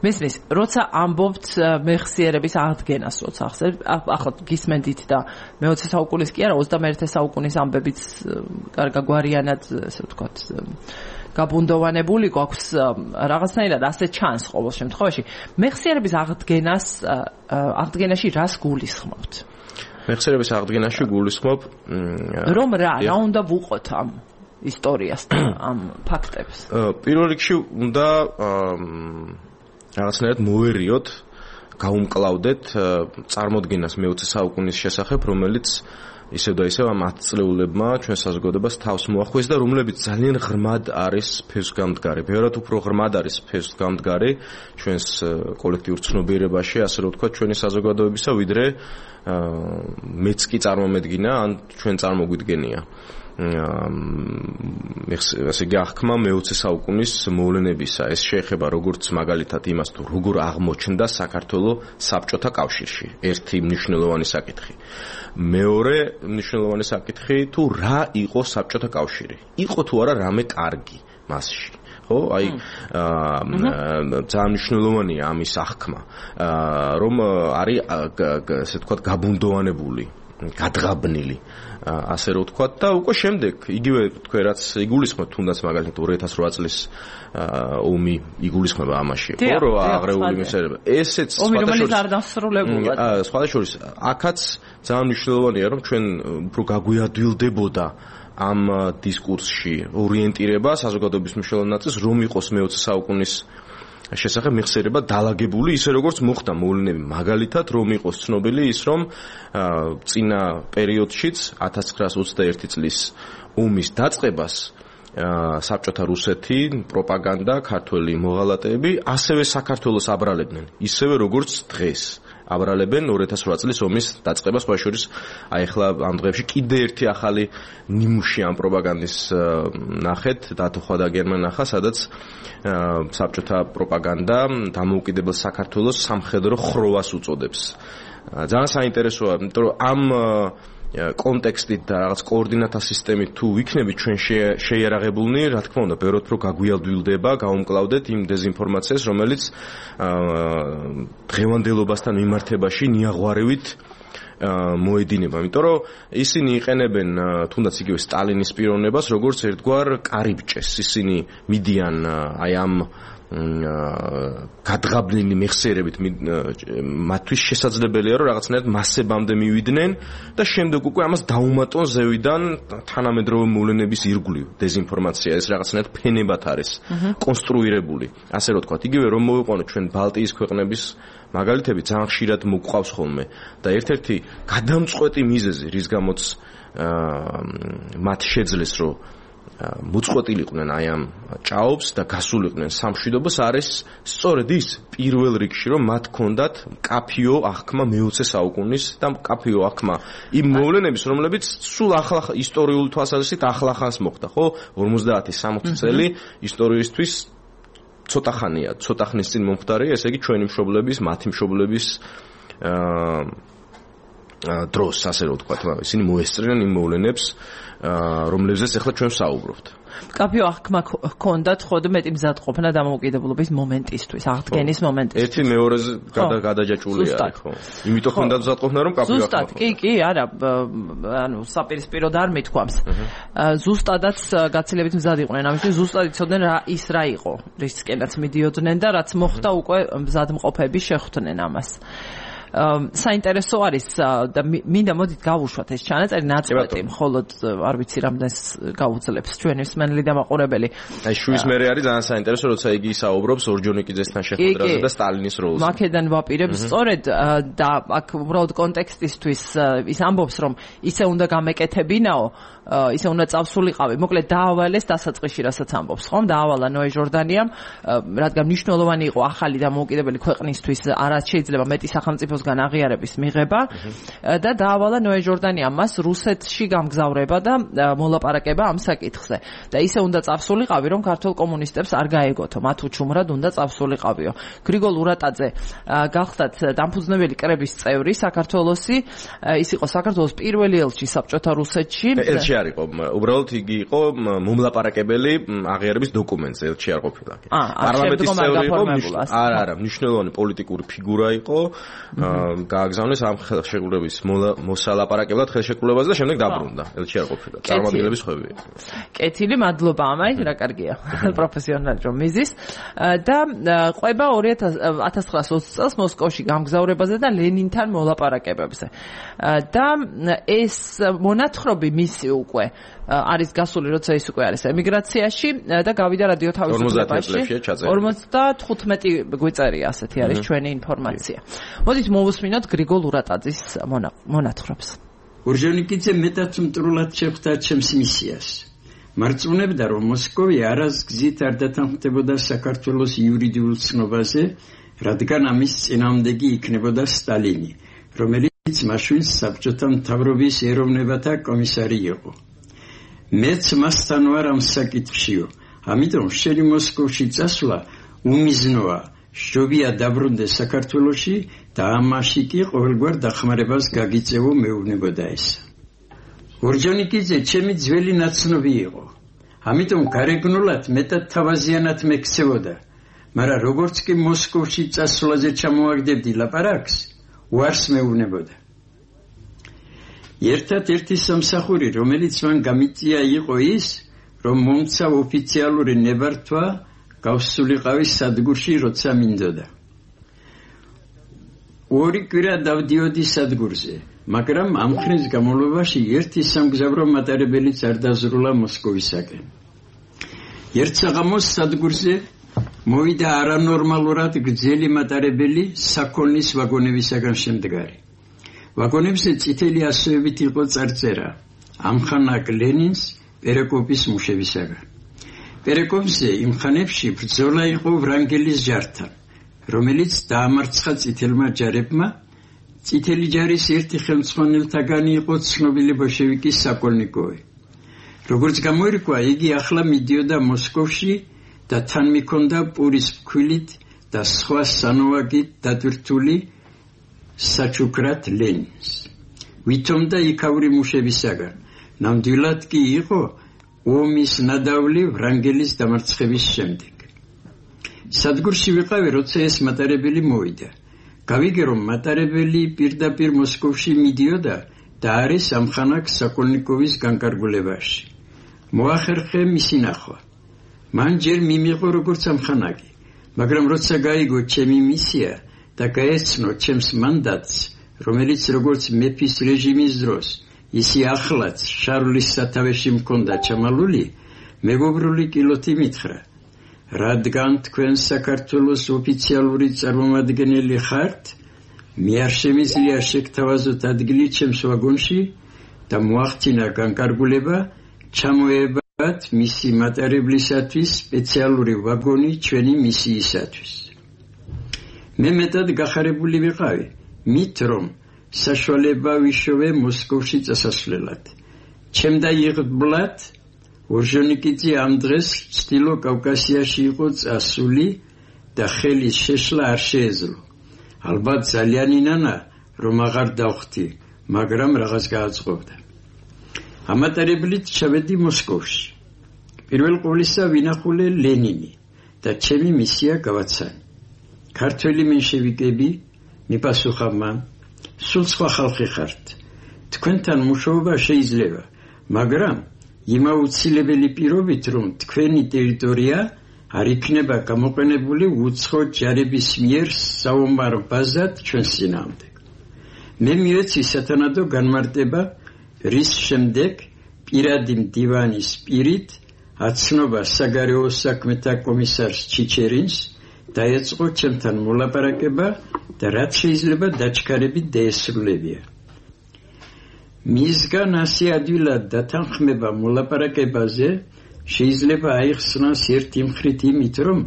მესმის, როცა ამბობთ მეხსიერების აღდგენას, როცა ახსენებთ, ახლა გისმენდით და მე-20 საუკუნის კი არა, 21 საუკუნის ამბებიც გარკვეულგვარიანად, ასე ვთქვათ, გაბუნდოვანებული გვაქვს რაღაცნაირად ასე ჩანს ყოველ შემთხვევაში. მეხსიერების აღდგენაში რას გულისხმობთ? მეხსიერების აღდგენაში გულისხმობ რომ რა უნდა ვუყოთ ამ ისტორიასთან, ამ ფაქტებს. პირველ რიგში უნდა რაღაცნაირად მოვერიოთ, გაუმკლავდეთ წარმოდგენას მე-20 საუკუნის შესახებ, რომელიც ისევ და ისევ ამ 10 წლეულებმა ჩვენ საზოგადოებას თავს მოახვეს და რომლებიც ძალიან ღრმად არის ფესვგამდგარი. ბევრად უფრო ღრმად არის ფესვგამდგარი ჩვენს კოლექტიურ ცნობიერებაში, ასე რომ ვთქვათ, ჩვენი საზოგადოებისა, ვიდრე მეც კი წარმომედგინა, ან ჩვენ წარმოგვიდგენია. ესე იგი აღქმა მე-20 საუკუნის მოვლენებისა. ეს შეეხება როგორც მაგალითად იმას, თუ როგორ აღმოჩნდა საქართველოს საბჭოთა კავშირში. ერთი მნიშვნელოვანი საკითხი. მეორე მნიშვნელოვანი საკითხი, თუ რა იყო საბჭოთა კავშირი. იყო თუ არა რამე კარგი მასში. ხო, აი ძალიან მნიშვნელოვანია ამის აღქმა, რომ არის ესე ვთქვათ გაბუნდოვანებული, გადღაბნილი, ასე რომ ვთქვათ და უკვე შემდეგ იგივე თქვენ რაც იგულისხმებთ, თუნდაც მაგალითად 2008 წლის ომი იგულისხმება ამაში, ხო, რომ აღრეული მეხსიერება. ესეც სხვადასხვა აქაც ძალიან მნიშვნელოვანია, რომ ჩვენ უფრო გაგვიადვილდებოდა ამ დისკურსში ორიენტირება საზოგადოების მნიშვნელოვან ნაწილს, რომ იყოს მე-20 საუკუნის შესახებ მიხსენება დალაგებული, ისე როგორც მოხდა მოვლენები, მაგალითად, რომ იყოს ცნობილი ის, რომ წინა პერიოდშიც 1921 წლის ომის დაწყებას საბჭოთა რუსეთი, პროპაგანდა, ქართველი მოღალატეები ასევე საქართველოს აბრალებდნენ, ისევე როგორც დღეს აბრალებენ 2008 წლის ომის დაწყებას, სხვა შორის აი ახლა ამ დღეებში კიდე ერთი ახალი ნიმუში ამ პროპაგანდის ნახეთ, დათოხვა და გერმანახა, სადაც საბჭოთა პროპაგანდა დამოუკიდებელ საქართველოს სამხედრო ხროვას უწოდებს. ძალიან საინტერესოა, იმიტომ რომ ამ კონტექსტით და რაღაც კოორდინატა სისტემით თუ ვიქნებით ჩვენ შეიარაღებულნი, რა თქმა უნდა, ბევრად უფრო გაგვიალდვილდება, გავუმკლავდეთ იმ დეზინფორმაციას, რომელიც დღევანდელობასთან მიმართებაში ნიაღვარევით მოედინება, იმიტომ რომ ისინი იყენებენ თუნდაც იგივე სტალინის პიროვნებას, როგორც ერთგვარ კარიბჭეს. ისინი მიდიან აი ამ გადღაბნილი მეხსიერებით მათთვის შესაძლებელია რომ რაღაცნაირად მასებამდე მივიდნენ და შემდეგ უკვე ამას დაუმატონ ზევიდან თანამედროვე მოვლენების ირგვლივ დეზინფორმაცია ეს რაღაცნაირად ფენებად არის კონსტრუირებული ასე რომ თქვა იგივე რომ მოვიყვანოთ ჩვენ ბალტიის ქვეყნების მაგალითები ძალიან ხშირად მოგყავს ხოლმე და ერთ-ერთი გადამწყვეტი მიზეზი რის გამოც მათ შეძლეს რომ მოწყვეტილიყვნენ აი ამ ჭაობს და გასულიყვნენ სამშვიდობას არის სწორედ ის პირველ რიგში რომ მათ ჰქონდათ კაფიო აღქმა მე-20 საუკუნის და კაფიო აღქმა იმ მოვლენების რომლებიც სულ ახლა ისტორიული თვალსაზრისით ახლახანს მოხდა ხო 50-60 წელი ისტორიისთვის ცოტა ხანია ცოტა ხნის წინ მომხდარია ესე იგი ჩვენი მშობლების მათი მშობლების დროს ასე რომ ვთქვათ ისინი მოესწრნენ იმ მოვლენებს რომლებზეც ახლა ჩვენ ვსაუბრობთ. კაფიო აღქმა ჰქონდათ ხოდ მეტი მზადყოფნა დამოუკიდებლობის მომენტისთვის, აღდგენის მომენტისთვის. ერთი მეორეზე გადაჯაჭვული არის, ხო? იმიტომ ჰქონდათ მზადყოფნა რომ კაფიო აღქმა. ზუსტად, კი, არა, ანუ საპირისპიროდ არ მithქვამს. ზუსტადაც გაცილებით მზად იყვნენ, ამისთვის ზუსტად იცოდნენ რა იყო, რისკენაც მიდიოდნენ და რაც მოხდა უკვე მზადმყოფები შეხვდნენ ამას. საინტერესო არის და მინდა მოდით გავუშვათ ეს ჩანაწერი ნაწყვეტი მხოლოდ არ ვიცი რამდენს გაუძლებს ჩვენი მსმენელი და მაყურებელი. აი შუის მერე არის ძალიან საინტერესო როცა იგი საუბრობს ორჯონიკიძესთან შეხვედრაზე და სტალინის როლზე. მაკედან ვაპირებს სწორედ და აქ უბრალოდ კონტექსტისთვის ის ამბობს რომ ისე უნდა გამეკეთებინაო ისე უნდა წავსულიყავი. მოკლედ დაავალეს დასაწყისში რასაც ამბობს, ხომ? დაავალა ნოე ჟორდანიამ, რადგან მნიშვნელოვანი იყო ახალი დამოუკიდებელი ქვეყნისთვის არც შეიძლება მეტი სახელმწიფოსგან აღიარების მიღება და დაავალა ნოე ჟორდანიამ მას რუსეთში გამგზავრება და მოლაპარაკება ამ საკითხზე. და ისე უნდა წავსულიყავი, რომ ქართულ კომუნისტებს არ გაეგოთო, მათ უჩუმრად უნდა წავსულიყავიო. გრიგოლ ურატაძე გახდათ დამფუძნებელი კრების წევრი საქართველოსი, ის იყო საქართველოს პირველი ელჩი საბჭოთა რუსეთში. არ იყო, უბრალოდ იგი იყო მომლაპარაკებელი აღიარების დოკუმენტზე, ელჩი არ ყოფილა. პარლამენტის წევრი იყო, არა, მნიშვნელოვანი პოლიტიკური ფიგურა იყო, გააგზავნეს ამ ხელშეკრულების მოსალაპარაკებლად ხელშეკრულებაზე და შემდეგ დაბრუნდა, ელჩი არ ყოფილა. წარმომადგენლების ხვევი. კეთილი, მადლობა ამაი, რა კარგია. პროფესიონალი რომ მიზის და ყვება 1920 წელს მოსკოვში გამგზავრებაზე და ლენინთან მოლაპარაკებებზე. და ეს მონათხრობი მისი უკვე არის გასული, როცა ის უკვე არის ემიგრაციაში და გავიდა რადიო თავისუფლებაში. 55 გვიწერია ასეთი არის ჩვენი ინფორმაცია. მოდით მოვუსმინოთ გრიგოლ ურატაძის მონათხრობს. ორჯონიკიძე მეტად მტრულად შეხვდა ჩემს მისიას. მარწმუნებდა, რომ მოსკოვი არას გზით არ დათანხმდებოდა საქართველოს იურიდიულ ცნობაზე, რადგან ამის წინააღმდეგი იქნებოდა სტალინი, რომელიც მაშინ საბჭოთა მთავრობის ეროვნებათა კომისარი იყო. მეც მასთან ვარ ამ საკითხშიო, ამიტომ შენი მოსკოვში წასვლა უმიზნოა. შობია დაბრუნდე საქართველოში და ამაში კი ყოველგვარ დახმარებას გაგიწევო მეუბნებოდა ეს. ორჯონიკიძე ჩემი ძველი ნაცნობი იყო. ამიტომ გარეგნულად მეტად თავაზიანად მექცევოდა. მაგრამ როგორც კი მოსკოვში წასვლაზე ჩამოაგდებდი ლაპარაკს, უარს მეუბნებოდა. ერთად-ერთი სამსახური, რომელიც მან გამიწია იყო ის, რომ მომცა ოფიციალური ნებართვა გავსულიყავი სადგურში, როცა მინდოდა. ორი კვირა დავდიოდი სადგურზე, მაგრამ ამ ხნის განმავლობაში ერთი სამგზავრო მატარებელიც არ დაზრულა მოსკოვისაკენ. ერთ საღამოს სადგურზე მოვიდა არანორმალურად გრძელი მატარებელი საქონლის ვაგონებისაგან შემდგარი. ვაგონებზე წითელი ასოებით იყო წარწერა ამხანაგ ლენინს პერეკოპის მუშებისაგან. პერეკოპზე იმ ხანებში ბრძოლა იყო ვრანგელის ჯართან, რომელიც დაამარცხა წითელმა ჯარებმა. წითელი ჯარის ერთი ხელმძღვანელთაგანი იყო ცნობილი ბოლშევიკის საკოლნიკოვი. როგორც გამოირკვა, იგი ახლა მიდიოდა მოსკოვში და თან მიქონდა პურის ფქვილით და სხვა სანოვაგით დატვირთული საჩუქრად ლენინს. ვითომდა იქაური მუშებისაგან, ნამდვილად კი იყო ომის ნადავლი ვრანგელის დამარცხების შემდეგ. სადგურში ვიყავი, როცა ეს მატარებელი მოვიდა. გავიგე, რომ მატარებელი პირდაპირ მოსკოვში მიდიოდა და არის ამხანაგ საკოლნიკოვის განკარგულებაში. მოახერხე მისი ნახვა. მან ჯერ მიმიღო როგორც ამხანაგი, მაგრამ როცა გაიგო ჩემი მისია და გაეცნო ჩემს მანდატს, რომელიც როგორც მეფის რეჟიმის დროს, ისი ახლაც შარლის სათავეში მქონდა ჩამალული, მეგობრული კილოთი მითხრა: რადგან თქვენ საქართველოს ოფიციალური წარმომადგენელი ხართ, მე არ შემიძლია შეგთავაზოთ ადგილი ჩემს ვაგონში და მოახდინა განკარგულება ჩამოებათ მისი მატარებლისათვის სპეციალური ვაგონი ჩვენი მისიისათვის. მე მეტად გახარებული ვიყავი, მით რომ საშუალება ვიშოვე მოსკოვში წასასვლელად. ჩემდა იღბლად ორჟონიკიძე ამ დღეს ჩრდილო კავკასიაში იყო წასული და ხელის შეშლა არ შეეძლო. ალბათ ძალიან ინანა, რომ აღარ დავხვდი, მაგრამ რაღაც გააწყობდა. ამატარებლით ჩავედი მოსკოვში. პირველ ყოვლისა ვინახულე ლენინი და ჩემი მისია გავაცანი. ქართველი მენშევიკები, მიპასუხა მან, სულ სხვა ხალხი ხართ. თქვენთან მუშაობა შეიძლება, მაგრამ იმ აუცილებელი პირობით, რომ თქვენი ტერიტორია არ იქნება გამოყენებული უცხო ჯარების მიერ საომარ ბაზად ჩვენს წინააღმდეგ. მე მივეცი სათანადო განმარტება, რის შემდეგ პირადი მდივანის პირით აცნობა საგარეო საქმეთა კომისარს ჩიჩერინს დაეწყო ჩემთან მოლაპარაკება და რაც შეიძლება დაჩქარებით დაესრულებია. მისგან ასე ადვილად დათანხმება მოლაპარაკებაზე შეიძლება აიხსნას ერთი მხრით იმით, რომ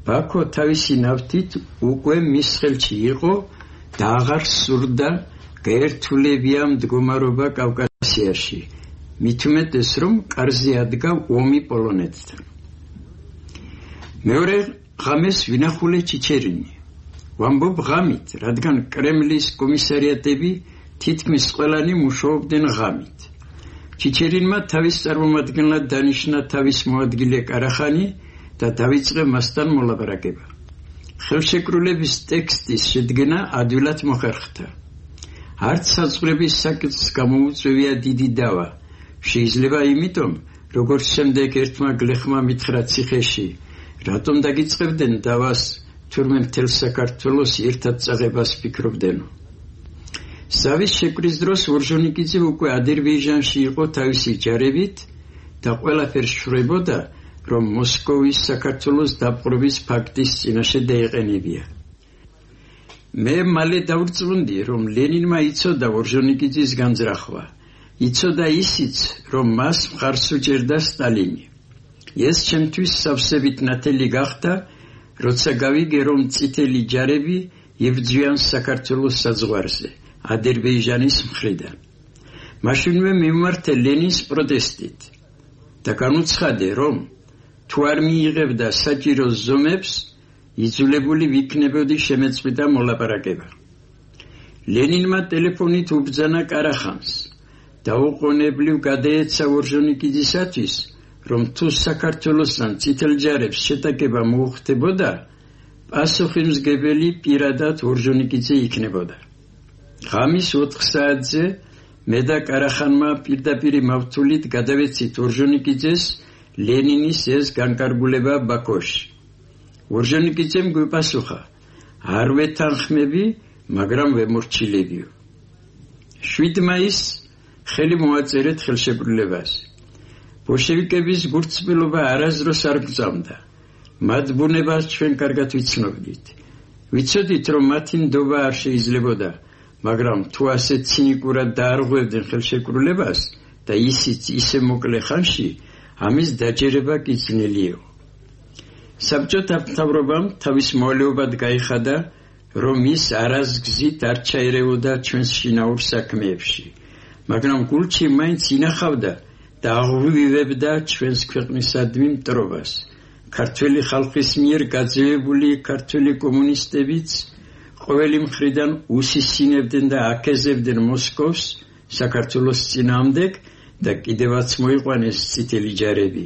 ბაქო თავისი ნავთით უკვე მის ხელში იყო და აღარ სურდა გაერთულებია მდგომარეობა კავკასიაში, მით უმეტეს, რომ კარზე ადგა ომი პოლონეთთან. მეორე ღამეს ვინახულე ჩიჩერინი. ვამბობ ღამით, რადგან კრემლის კომისარიატები თითქმის ყველანი მუშაობდნენ ღამით. ჩიჩერინმა თავის წარმომადგენლად დანიშნა თავის მოადგილე კარახანი და დაიწყე მასთან მოლაპარაკება. ხელშეკრულების ტექსტის შედგენა ადვილად მოხერხდა. არც საზღვრების საკითხს გამოუწვევია დიდი დავა. შეიძლება იმიტომ, როგორც შემდეგ ერთმა გლეხმა მითხრა ციხეში, რატომ დაგიწყებდნენ დავას, თურმე მთელ საქართველოს ერთად წაღებას ფიქრობდენო. სავის შეკვრის დროს ორჟონიკიძე უკვე აზერბაიჯანში იყო თავისი ჯარებით და ყველაფერს შრებოდა, რომ მოსკოვის საქართველოს დაპყრობის ფაქტის წინაშე დაეყენებია. მე მალე დავრწმუნდი, რომ ლენინმა იცოდა ორჟონიკიძის განზრახვა. იცოდა ისიც, რომ მას მხარს უჭერდა სტალინი. ეს ჩემთვის სავსებით ნათელი გახდა, როცა გავიგე, რომ წითელი ჯარები იბრძვიან საქართველოს საზღვარზე, აზერბაიჯანის მხრიდან. მაშინვე მიმართე ლენინს პროტესტით და განუცხადე, რომ თუ არ მიიღებდა საჭირო ზომებს, იძულებული ვიქნებოდი შემეწყვიტა მოლაპარაკება. ლენინმა ტელეფონით უბრძანა კარახანს და უყონებლივ გადაეცა ორჟონიკიძისათვის, რომ თუ საქართველოსთან წითელ ჯარებს შეტაკება მოუხდებოდა, პასუხისმგებელი პირადად ორჟონიკიძე იქნებოდა. ღამის 4 საათზე მე და კარახანმა პირდაპირ მავთულით გადავეცით ორჟონიკიძეს ლენინის ეს განკარგულება ბაქოში. ორჟონიკიძემ გვიპასუხა: არ ვეთანხმები, მაგრამ ვემორჩილებიო. 7 მაისს ხელი მოაწერეთ ხელშეკრულებას. ბოლშევიკების გულწრფელობა არასდროს არ გწამდა. მათ ბუნებას ჩვენ კარგად ვიცნობდით. ვიცოდით, რომ მათი ნდობა არ შეიძლებოდა, მაგრამ თუ ასე ცინიკურად დაარღვევდნენ ხელშეკრულებას და ისიც ისე მოკლე ხანში, ამის დაჯერება კი ძნელიო. საბჭოთა მთავრობამ თავის მოვალეობად გაიხადა, რომ ის არასგზით არ ჩაერეოდა ჩვენს შინაურ საქმეებში, მაგრამ გულში მაინც ინახავდა და აღვივებდა ჩვენს ქვეყნისადმი მტრობას. ქართველი ხალხის მიერ გაძევებული ქართველი კომუნისტებიც ყოველი მხრიდან უსისინებდნენ და აკეზებდნენ მოსკოვს საქართველოს წინააღმდეგ და კიდევაც მოიყვანეს წითელი ჯარები.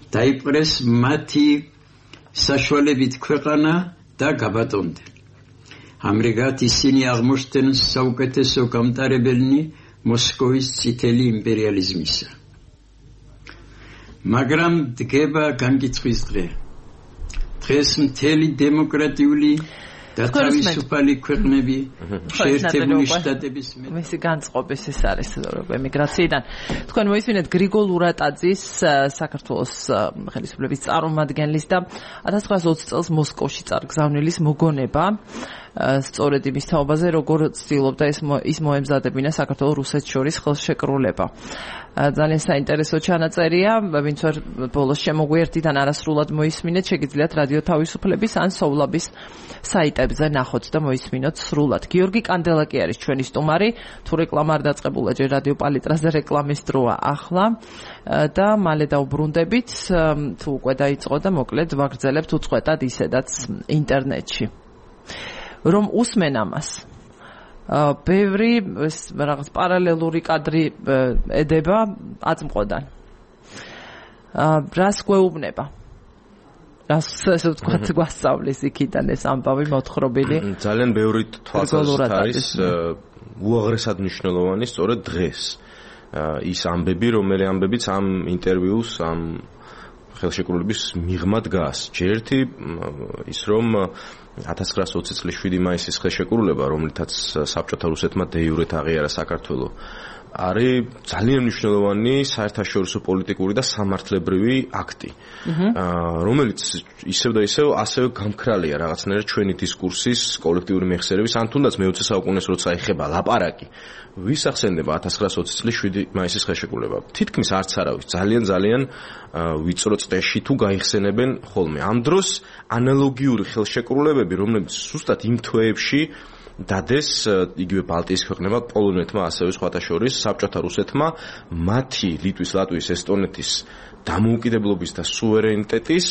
დაიპყრეს მათი საშუალებით ქვეყანა და გაბატონდნენ. ამრიგად ისინი აღმოჩნდნენ საუკეთესო გამტარებელნი მოსკოვის წითელი იმპერიალიზმისა. მაგრამ დგება განკიცხვის დღე. დღეს მთელი დემოკრატიული და თავისუფალი ქვეყნები შეერთებული შტატების მისი განწყობის ეს არის ემიგრაციიდან. თქვენ მოისმინეთ გრიგოლ ურატაძის საქართველოს ხელისუფლების წარმომადგენლის და 1920 წელს მოსკოვში წარგზავნილის მოგონება. სწორედ იმის თაობაზე, როგორ ცდილობდა ის მოემზადებინა საქართველოს რუსეთს შორის ხელშეკრულება. ძალიან საინტერესო ჩანაწერია, ვინც ვერ ბოლოს შემოგვიერთიდან არასრულად მოისმინეთ, შეგიძლიათ რადიო თავისუფლების ან სოვლაბის საიტებზე ნახოთ და მოისმინოთ სრულად. გიორგი კანდელაკი არის ჩვენი სტუმარი, თუ რეკლამა არ დაწყებულა, ჯერ რადიო პალიტრაზე რეკლამის დროა ახლა და მალე დავბრუნდებით, თუ უკვე დაიწყო და მოკლედ ვაგრძელებთ უწყვეტად ისედაც ინტერნეტში. რომ უსმენ ამას. ბევრი რაღაც პარალელური კადრი ედება აწმყოდან. რას გვეუბნება? რას ესე ვთქვათ გვასწავლის იქიდან ეს ამბავი მოთხრობილი? ძალიან ბევრი თვალსაზრისით არის უაღრესად მნიშვნელოვანი სწორედ დღეს. ის ამბები, რომელი ამბებიც ამ ინტერვიუს, ამ ხელშეკრულების მიღმა დგას. ჯერ ერთი ის რომ 1920 წლის 7 მაისის ხელშეკრულება, რომლითაც საბჭოთა რუსეთმა დე-იურეთ აღიარა საქართველო, არის ძალიან მნიშვნელოვანი საერთაშორისო პოლიტიკური და სამართლებრივი აქტი, რომელიც ისევ და ისევ ასევე გამქრალია რაღაცნაირად ჩვენი დისკურსის კოლექტიური მეხსიერების, ან თუნდაც მე-20 საუკუნეს როცა ეხება ლაპარაკი, ვის ახსენდება 1920 წლის 7 მაისის ხელშეკრულება. თითქმის არც არავის ძალიან ვიწრო წრეში თუ გაიხსენებენ ხოლმე. ამ დროს ანალოგიური ხელშეკრულებები, რომლებიც ზუსტად იმ თვეებში დადეს იგივე ბალტიის ქვეყნებმა, პოლონეთმა, ასევე სხვათა შორის საბჭოთა რუსეთმა მათი ლიტვის, ლატვიის, ესტონეთის დამოუკიდებლობის და სუვერენიტეტის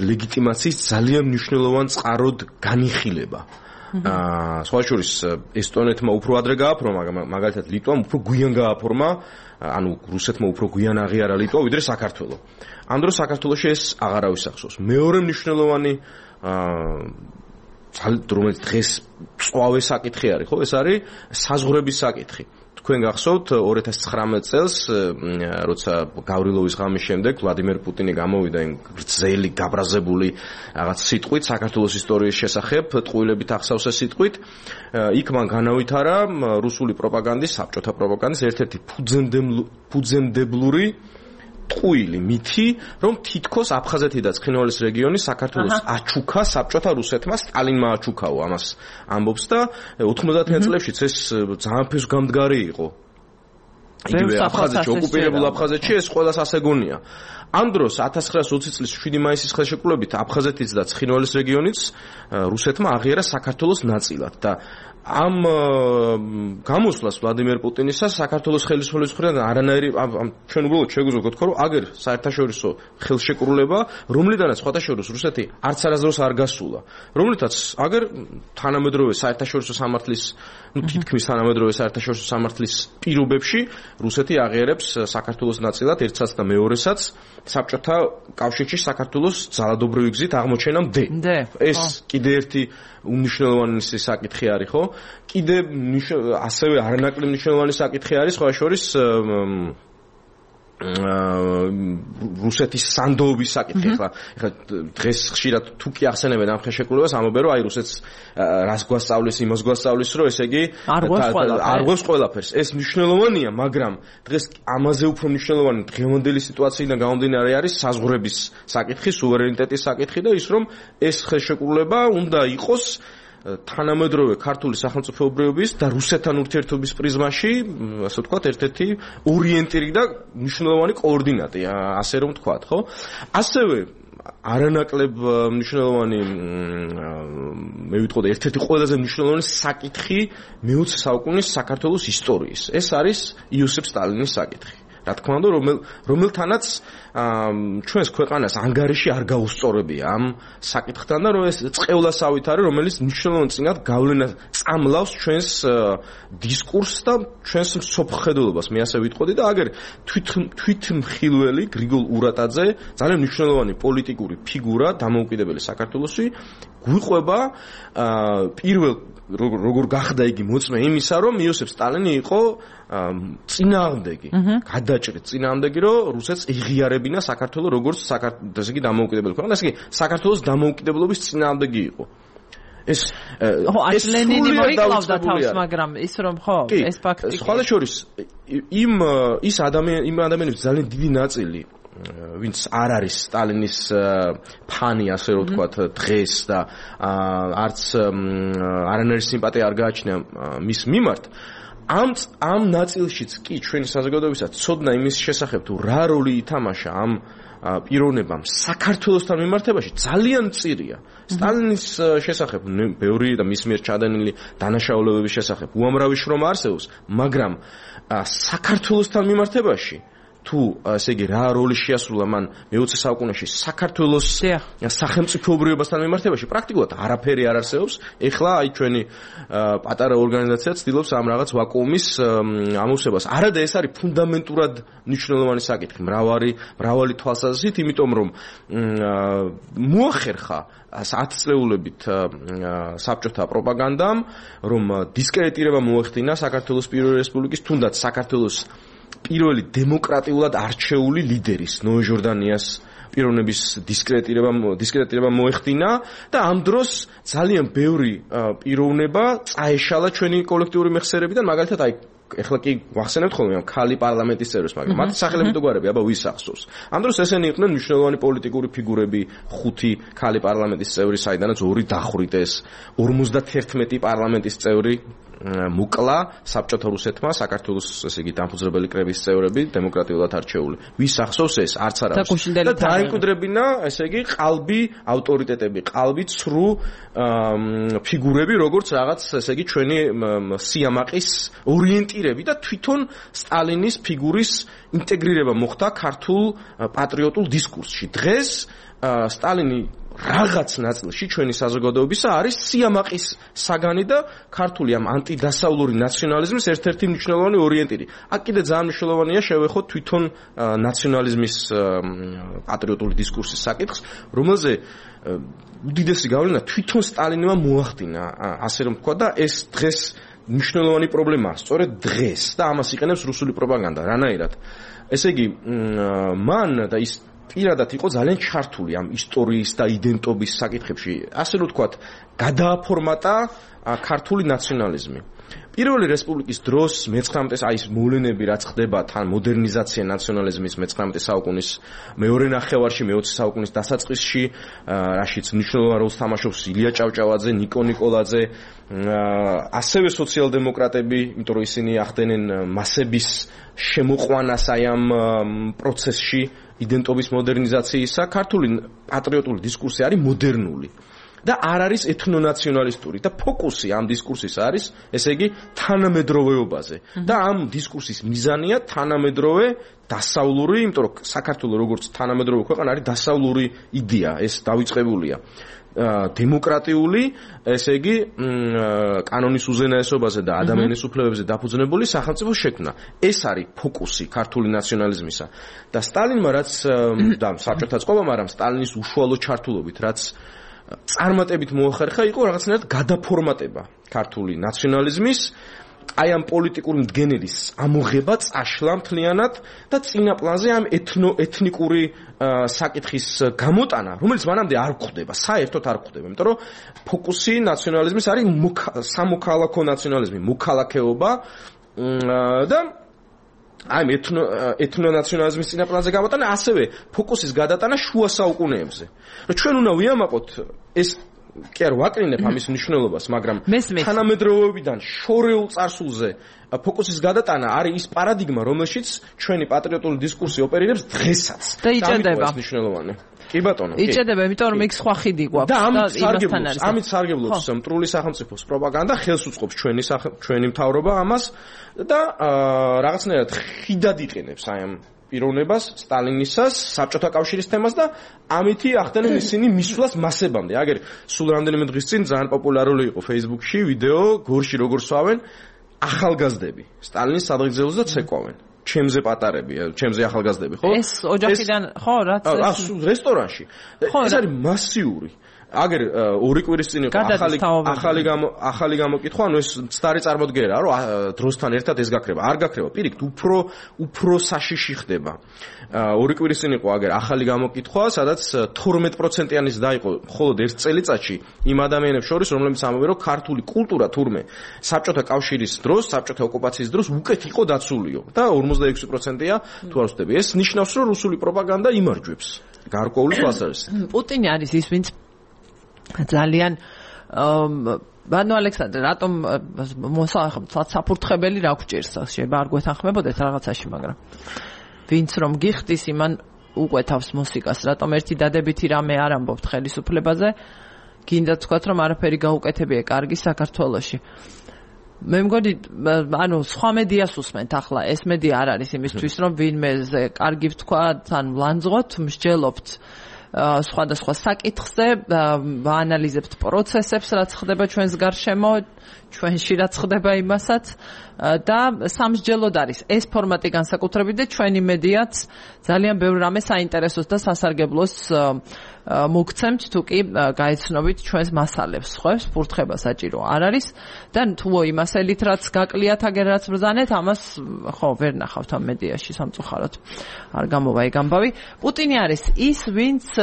ლეგიტიმაციის ძალიან მნიშვნელოვან წყაროდ განიხილება. სხვა შორის ესტონეთმა უფრო ადრე გააფორმა, მაგალითად ლიტვამ უფრო გვიან გააფორმა, ანუ რუსეთმა უფრო გვიან აღიარა ლიტვა ვიდრე საქართველო. ამ დროს საქართველოში ეს აღარავის ახსოვს. მეორე მნიშვნელოვანი რომელიც დღეს წვავე საკითხი არის, ხო, ეს არის საზღვრების საკითხი. თქვენ გახსოვთ 2019 წელს, როცა გავრილოვის ღამის შემდეგ ვლადიმერ პუტინი გამოვიდა იმ გრძელი გაბრაზებული რაღაც სიტყვით საქართველოს ისტორიის შესახებ, ტყუილებით ახსავსე სიტყვით, იქ მან განავითარა რუსული პროპაგანდის, საბჭოთა პროპაგანდის ერთ-ერთი ფუძემდებლური ტყუილი მითი, რომ თითქოს აფხაზეთი და ცხინვალის რეგიონი საქართველოს აჩუქა საბჭოთა რუსეთმა, სტალინმა აჩუქაო ამას ამბობს და 90-იან წლებშიც ეს ძალიან ფესვგამდგარი იყო. იგივე აფხაზეთში, ოკუპირებულ აფხაზეთში ეს ყველას ასეგონია. ამ დროს 1920 წლის 7 მაისის ხელშეკრულებით აფხაზეთის და ცხინვალის რეგიონიც რუსეთმა აღიარა საქართველოს ნაწილად და ამ გამოსვლას ვლადიმერ პუტინისას საქართველოს ხელისუფლების მხრიდან არანაირი ჩვენ უბრალოდ შეგვიძლია გთქვა რომ აგერ საერთაშორისო ხელშეკრულება, რომლიდანაც სხვათა შორის რუსეთი არც არასდროს არ გასულა, რომლითაც აგერ თანამედროვე საერთაშორისო სამართლის, თითქმის თანამედროვე საერთაშორისო სამართლის პირობებში რუსეთი აღიარებს საქართველოს ნაწილად ერთსაც და მეორესაც საბჭოთა კავშირში საქართველოს ძალადობრივი გზით აღმოჩენამდე. ეს კიდე ერთი უმნიშვნელოვანი საკითხი არის, ხო? კიდე ასევე არანაკლებ მნიშვნელოვანი საკითხი არის, სხვა შორის რუსეთის სანდოობის საკითხი ახლა დღეს ხშირად თუ კი ახსენებენ ამ ხელშეკრულებას ამობენ რომ აი რუსეთს რას გვასწავლის იმას გვასწავლის რომ ესე იგი არ გვაქვს ყველაფერს ეს მნიშვნელოვანია მაგრამ დღეს ამაზე უფრო მნიშვნელოვანი დღევანდელი სიტუაციიდან გამომდინარე არის საზღვრების საკითხი სუვერენიტეტის საკითხი და ის რომ ეს ხელშეკრულება უნდა იყოს თანამედროვე ქართული სახელმწიფოებრიობის და რუსეთთან ურთიერთობის პრიზმაში, ასე ვთქვათ, ერთ-ერთი ორიენტირი და მნიშვნელოვანი კოორდინატი, ასე რომ ვთქვათ, ხო? ასევე არანაკლებ მნიშვნელოვანი მე ვიტყოდი ერთ-ერთი ყველაზე მნიშვნელოვანი საკითხი მე-20 საუკუნის საქართველოს ისტორიის. ეს არის იოსებ სტალინის საკითხი. რა თქმა უნდა, რომელთანაც ჩვენს ქვეყანას ანგარიში არ გაუსწორებია ამ საკითხთან და რომ ეს წყევლასავით არის, რომელიც მნიშვნელოვან წინათ გავლენას წამლავს ჩვენს დისკურსს და ჩვენს მსოფლმხედველობას, მე ასე ვიტყოდი და აგერ თვითმხილველი გრიგოლ ურატაძე, ძალიან მნიშვნელოვანი პოლიტიკური ფიგურა, დამოუკიდებელი საქართველოსი, გვიყვება პირველ როგორ გახდა იგი მოწმე იმისა, რომ იოსებ სტალინი იყო წინააღმდეგი, გადაჭრით წინააღმდეგი, რომ რუსეთს ეღიარებინა საქართველოს როგორც ესე იგი დამოუკიდებელი ქვეყანა, ესე იგი საქართველოს დამოუკიდებლობის წინააღმდეგი იყო. ეს ლენინი მოიკლავდა თავს, მაგრამ ის რომ ხო, ეს ფაქტი. სხვა შორის ის ადამიანების ძალიან დიდი ნაწილი ვინც არ არის სტალინის ფანი, ასე რომ ვთქვათ, დღეს და არც არანაირი სიმპათია არ გააჩნია მის მიმართ, ამ ნაწილშიც კი ჩვენი საზოგადოებისაც ცოდნა იმის შესახებ თუ რა როლი ითამაშა ამ პიროვნებამ საქართველოსთან მიმართებაში ძალიან მწირია. სტალინის შესახებ ბევრი და მის მიერ ჩადენილი დანაშაულებების შესახებ უამრავი შრომა არსებობს, მაგრამ საქართველოსთან მიმართებაში თუ ესე იგი რა როლი შეასრულა მან მე-20 საუკუნეში საქართველოს სახელმწიფოებრიობასთან მიმართებაში პრაქტიკულად არაფერი არ არსებობს. ეხლა აი ჩვენი პატარა ორგანიზაცია ცდილობს ამ რაღაც ვაკუუმის ამოვსებას. არადა ეს არის ფუნდამენტურად მნიშვნელოვანი საკითხი მრავალი თვალსაზრისით, იმიტომ რომ მოახერხა 10 წლეულებით საბჭოთა პროპაგანდამ, რომ დისკრედიტირება მოეხდინა საქართველოს პირველი რესპუბლიკის, თუნდაც საქართველოს პირველი დემოკრატიულად არჩეული ლიდერის ნოე ჟორდანიას პიროვნების დისკრედიტირება მოეხდინა და ამ დროს ძალიან ბევრი პიროვნება წაეშალა ჩვენი კოლექტიური მეხსიერებიდან, მაგალითად აი ეხლა კი ვახსენებთ ხოლმე ამ ქალი პარლამენტის წევრებს, მაგრამ მათი სახელები თუ გვარები, აბა ვის ახსოვს. ამ დროს ესენი იყვნენ მნიშვნელოვანი პოლიტიკური ფიგურები, 5 ქალი პარლამენტის წევრი, საიდანაც 2 დახვრიტეს, 51 პარლამენტის წევრი მუკლა საბჭოთა რუსეთმა, საქართველოს ესე იგი დამფუძნებელი კრების წევრები, დემოკრატიულად არჩეული. ვის ახსოვს ეს? არც არავის. და დაიმკვიდრებინა, ესე იგი, ყალბი ავტორიტეტები, ყალბი ცრუ ფიგურები, როგორც რაღაც, ესე იგი, ჩვენი სიამაყის ორიენტირები და თვითონ სტალინის ფიგურის ინტეგრირება მოხდა ქართულ პატრიოტულ დისკურსში. დღეს სტალინი რაღაც ნაწილში ჩვენი საზოგადოებისა არის სიამაყის საგანი და ქართული ამ ანტიდასავლური ნაციონალიზმის ერთ-ერთი მნიშვნელოვანი ორიენტირი. აქ კიდე ძალიან მნიშვნელოვანია შევეხოთ თვითონ ნაციონალიზმის პატრიოტული დისკურსის საკითხს, რომელზე უდიდესი გავლენა თვითონ სტალინმა მოახდინა, ასე რომ ვთქვა და ეს დღეს მნიშვნელოვანი პრობლემაა, სწორედ დღეს და ამას იყენებს რუსული პროპაგანდა. რანაირად? ესე იგი, მან და ის პირადად იყო ძალიან ჩართული ამ ისტორიის და იდენტობის საკითხებში. ასე რომ ვთქვათ, გადააფორმატა ქართული ნაციონალიზმი. პირველი რესპუბლიკის დროს მე-19 აი ეს მოვლენები რაც ხდება თან მოდერნიზაცია ნაციონალიზმის მე-19 საუკუნის მეორე ნახევარში, მე-20 საუკუნის დასაწყისში, რაშიც მნიშვნელოვან როლს თამაშობს ილია ჭავჭავაძე, ნიკო ნიკოლაძე, ასევე სოციალ-დემოკრატები, იმიტომ რომ ისინი ახდენენ მასების შემოყვანას აი ამ პროცესში იდენტობის მოდერნიზაციისა. ქართული პატრიოტული დისკურსი არის მოდერნული და არ არის ეთნონაციონალისტური და ფოკუსი ამ დისკურსის არის, ესე იგი, თანამედროვეობაზე. და ამ დისკურსის მიზანია თანამედროვე დასავლური, იმიტომ რომ საქართველოს როგორც თანამედროვე ქვეყანა არის დასავლური იდეა, ეს დავიწყებულია. დემოკრატიული, ესე იგი, კანონის უზენაესობაზე და ადამიანის უფლებებზე დაფუძნებული სახელმწიფო შექმნა. ეს არის ფოკუსი ქართული ნაციონალიზმისა. და სტალინმა რაც და საბჭოთა წყობა, მაგრამ სტალინის უშუალო ჩართულობით, რაც წარმატებით მოახერხა, იყო რაღაცნაირად გადაფორმატება ქართული ნაციონალიზმის აი ამ პოლიტიკური მდგენელის ამოღება წაშლა მთლიანად და წინა პლანზე ამ ეთნიკური საკითხის გამოტანა, რომელიც მანამდე არ გვხდება, საერთოდ არ გვხდება, იმიტომ რომ ფოკუსი ნაციონალიზმის არის სამოქალაქო ნაციონალიზმი, მოქალაქეობა და აი ეთნონაციონალიზმის წინა პლანზე გამოტანა, ასევე ფოკუსის გადატანა შუა საუკუნეებზე. რომ ჩვენ უნდა ვიამაყოთ ეს კი არ ვაკრინებ ამის მნიშვნელობას, მაგრამ თანამედროვეობიდან შორეულ წარსულზე ფოკუსის გადატანა არის ის პარადიგმა, რომელშიც ჩვენი პატრიოტული დისკურსი ოპერირებს დღესაც. და იჭედება. ეს მნიშვნელოვანი. კი ბატონო, კი. იჭედება, იმიტომ რომ იქ სხვა ხედი გვაქვს და ამით სარგებლობს მტრული სახელმწიფოს პროპაგანდა, ხელს უწყობს ჩვენი მთავრობა ამას და რაღაცნაირად ხიდად იყენებს აი ამ პიროვნებას, სტალინისას, საბჭოთა კავშირის თემას და ამითი ახდენენ ისინი მისვლას მასებამდე. აგერ სულ რამდენიმე დღის წინ ძალიან პოპულარული იყო Facebook-ში ვიდეო, გორში როგორ სვავენ ახალგაზრდები. სტალინის სადღეგრძელოს და ცეკვავენ. ჩემზე პატარები, ჩემზე ახალგაზრდები, ხო? ეს ოჯახიდან, ხო, რაც რესტორანში. ეს არის მასიური. აგერ ორი კვირის წინ იყო ახალი გამოკითხვა, ანუ ეს მცდარი წარმოდგენაა, რომ დროსთან ერთად ეს გაქრება. არ გაქრება, პირიქით, უფრო საშიში ხდება. ორი კვირის წინ იყო აგერ ახალი გამოკითხვა, სადაც 12%-იანის დაიყო მხოლოდ ერთ წელიწადში იმ ადამიანებს შორის, რომლებიც ამბობენ, რომ ქართული კულტურა თურმე საბჭოთა კავშირის დროს, საბჭოთა ოკუპაციის დროს უკეთ იყო დაცულიო და 46%-ია თუ არ ვცდები. ეს ნიშნავს, რომ რუსული პროპაგანდა იმარჯვებს გარკვეული თვალსაზრისით. პუტინი არის ის, ვინც ძალიან ბანო ალექსანდრე რატომ საფურთხებელი რა გვჭირს შეიძლება არ გვეთანხმებოდეთ რაღაცაში მაგრამ ვინც რომ გიხდის იმან უყვეთავს მუსიკას რატომ ერთი დადებითი რამე არ ამბობთ ხელისუფლებაზე გინდა თქვათ რომ არაფერი გაუკეთებია კარგი საქართველოში მე მგონი ანუ სხვა მედიას უსმენთ ახლა ეს მედია არ არის იმისთვის რომ ვინმეზე კარგი ვთქვა თან ვლანძღოთ მსჯელობთ სხვადასხვა საკითხზე ვაანალიზებთ პროცესებს რაც ხდება ჩვენს გარშემო ჩვენში რაც ხდება იმასაც და სამსჯელოდ არის ეს ფორმატი განსაკუთრებით და ჩვენი მედიაც ძალიან ბევრ რამეს საინტერესოს და სასარგებლოს მოგცემთ თუ კი გაეცნობით ჩვენს მასალებს ხოს ფურთხება საჭირო არ არის და თუ იმასელით რაც გაკლიათ აგერ რაც ბრძანეთ ამას ხო ვერ ნახავთ ამ მედიაში სამწუხაროდ არ გამოვა ეგ ამბავი პუტინი არის ის ვინც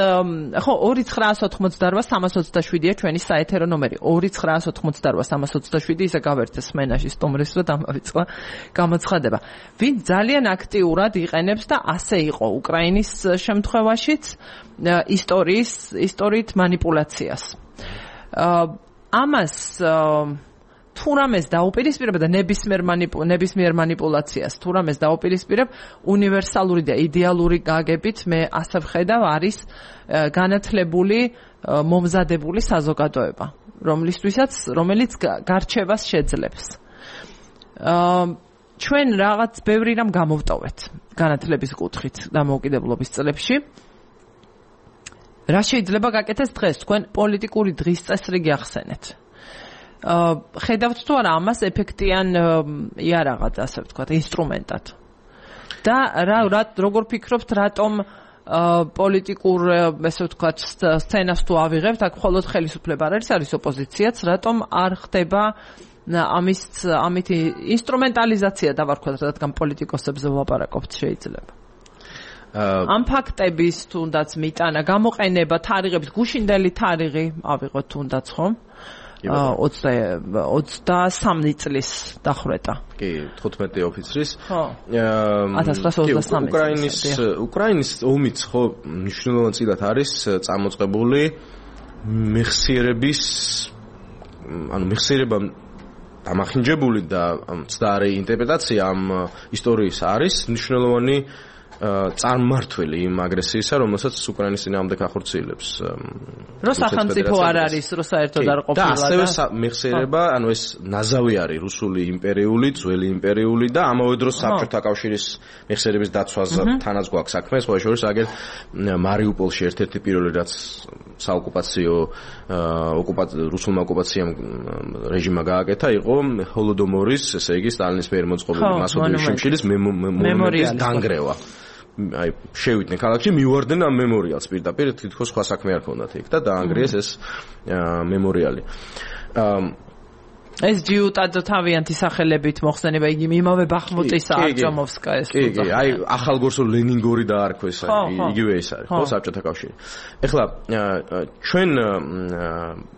ხო 2988-327-ია ჩვენი საეთერო ნომერი 2988-327 ისე გავერთეს სმენაში სტუმრის და დამავიწყდა გამოცხადება ვინც ძალიან აქტიურად იყენებს და ასე იყო უკრაინის შემთხვევაშიც ისტორიით манипуляციას. ამას თუ რამეს დაუპირისპირებ და ნებისმიერ манипуляციას თუ რამეს დაუპირისპირებ უნივერსალური და იდეალური გაგებით მე ასე ვხედავ არის განათლებული მომზადებული საზოგადოება რომელიც გარჩევას შეძლებს. ჩვენ რაღაც ბევრი რამ გამოვტოვეთ განათლების კუთხით დამოუკიდებლობის წლებში რა შეიძლება გაკეთდეს დღეს თქვენ პოლიტიკური დღის წესრიგი ახსენეთ. ხედავთ თუ არა ამას ეფექტიან იარაღად ასე ვთქვათ ინსტრუმენტად. და როგორ ფიქრობთ რატომ პოლიტიკურ ესე ვთქვათ სცენას თუ ავიღებთ აქ მხოლოდ ხელისუფლება არის ოპოზიციაც რატომ არ ხდება ამითი ინსტრუმენტალიზაცია დავარქვათ რადგან პოლიტიკოსებზე ვლაპარაკობთ შეიძლება. ამ ფაქტების თუნდაც მიტანა გამოყენება თარიღების გუშინდელი თარიღი ავიღოთ თუნდაც ხომ 23 წლის დახვრეტა კი 15 ოფიცრის ხო 1923 უკრაინის ომიც ხო მნიშვნელოვანად არის წამოწყებული მეხსიერება დამახინჯებული და მცდარი ინტერპრეტაცია ამ ისტორიის არის მნიშვნელოვანი წარმმართველი იმ აგრესიისა, რომელსაც უკრაინის წინააღმდეგ ახორციელებს. რო სახელმწიფო არ არის, რო საერთოდ არ ყოფილა და ასევე მეხსიერება, ანუ ეს ნაზავი არის რუსული იმპერიული, ძველი იმპერიული და ამავე დროს საბჭოთა კავშირის მეხსიერების დაცვასთანაც გვაქვს საქმე, სხვა შორის აგერ მარიუპოლში ერთ-ერთი პირველი რაც საოკუპაციო რუსულმა ოკუპაციამ რეჟიმმა გააკეთა იყო ჰოლოდომორის, ესე იგი სტალინის მიერ მოწყობილი მასობრივი შიმშილის მემორიალის დანგრევა. აი შევიდნენ ქალაქში მივარდნენ ამ მემორიალს პირდაპირ თითქოს სხვა საქმე არ ქონდათ იქ და დაანგრიეს ეს მემორიალი. ეს ჯიუტად თავიანთი სახელებით მოხსენება იგი იმავე ბახმუტის არჯომოვსკაის. კი, აი ახალგორსო ლენინგორი დაარქვეს, იგივე ეს არის, ხო, საბჭოთა კავშირი. ეხლა ჩვენ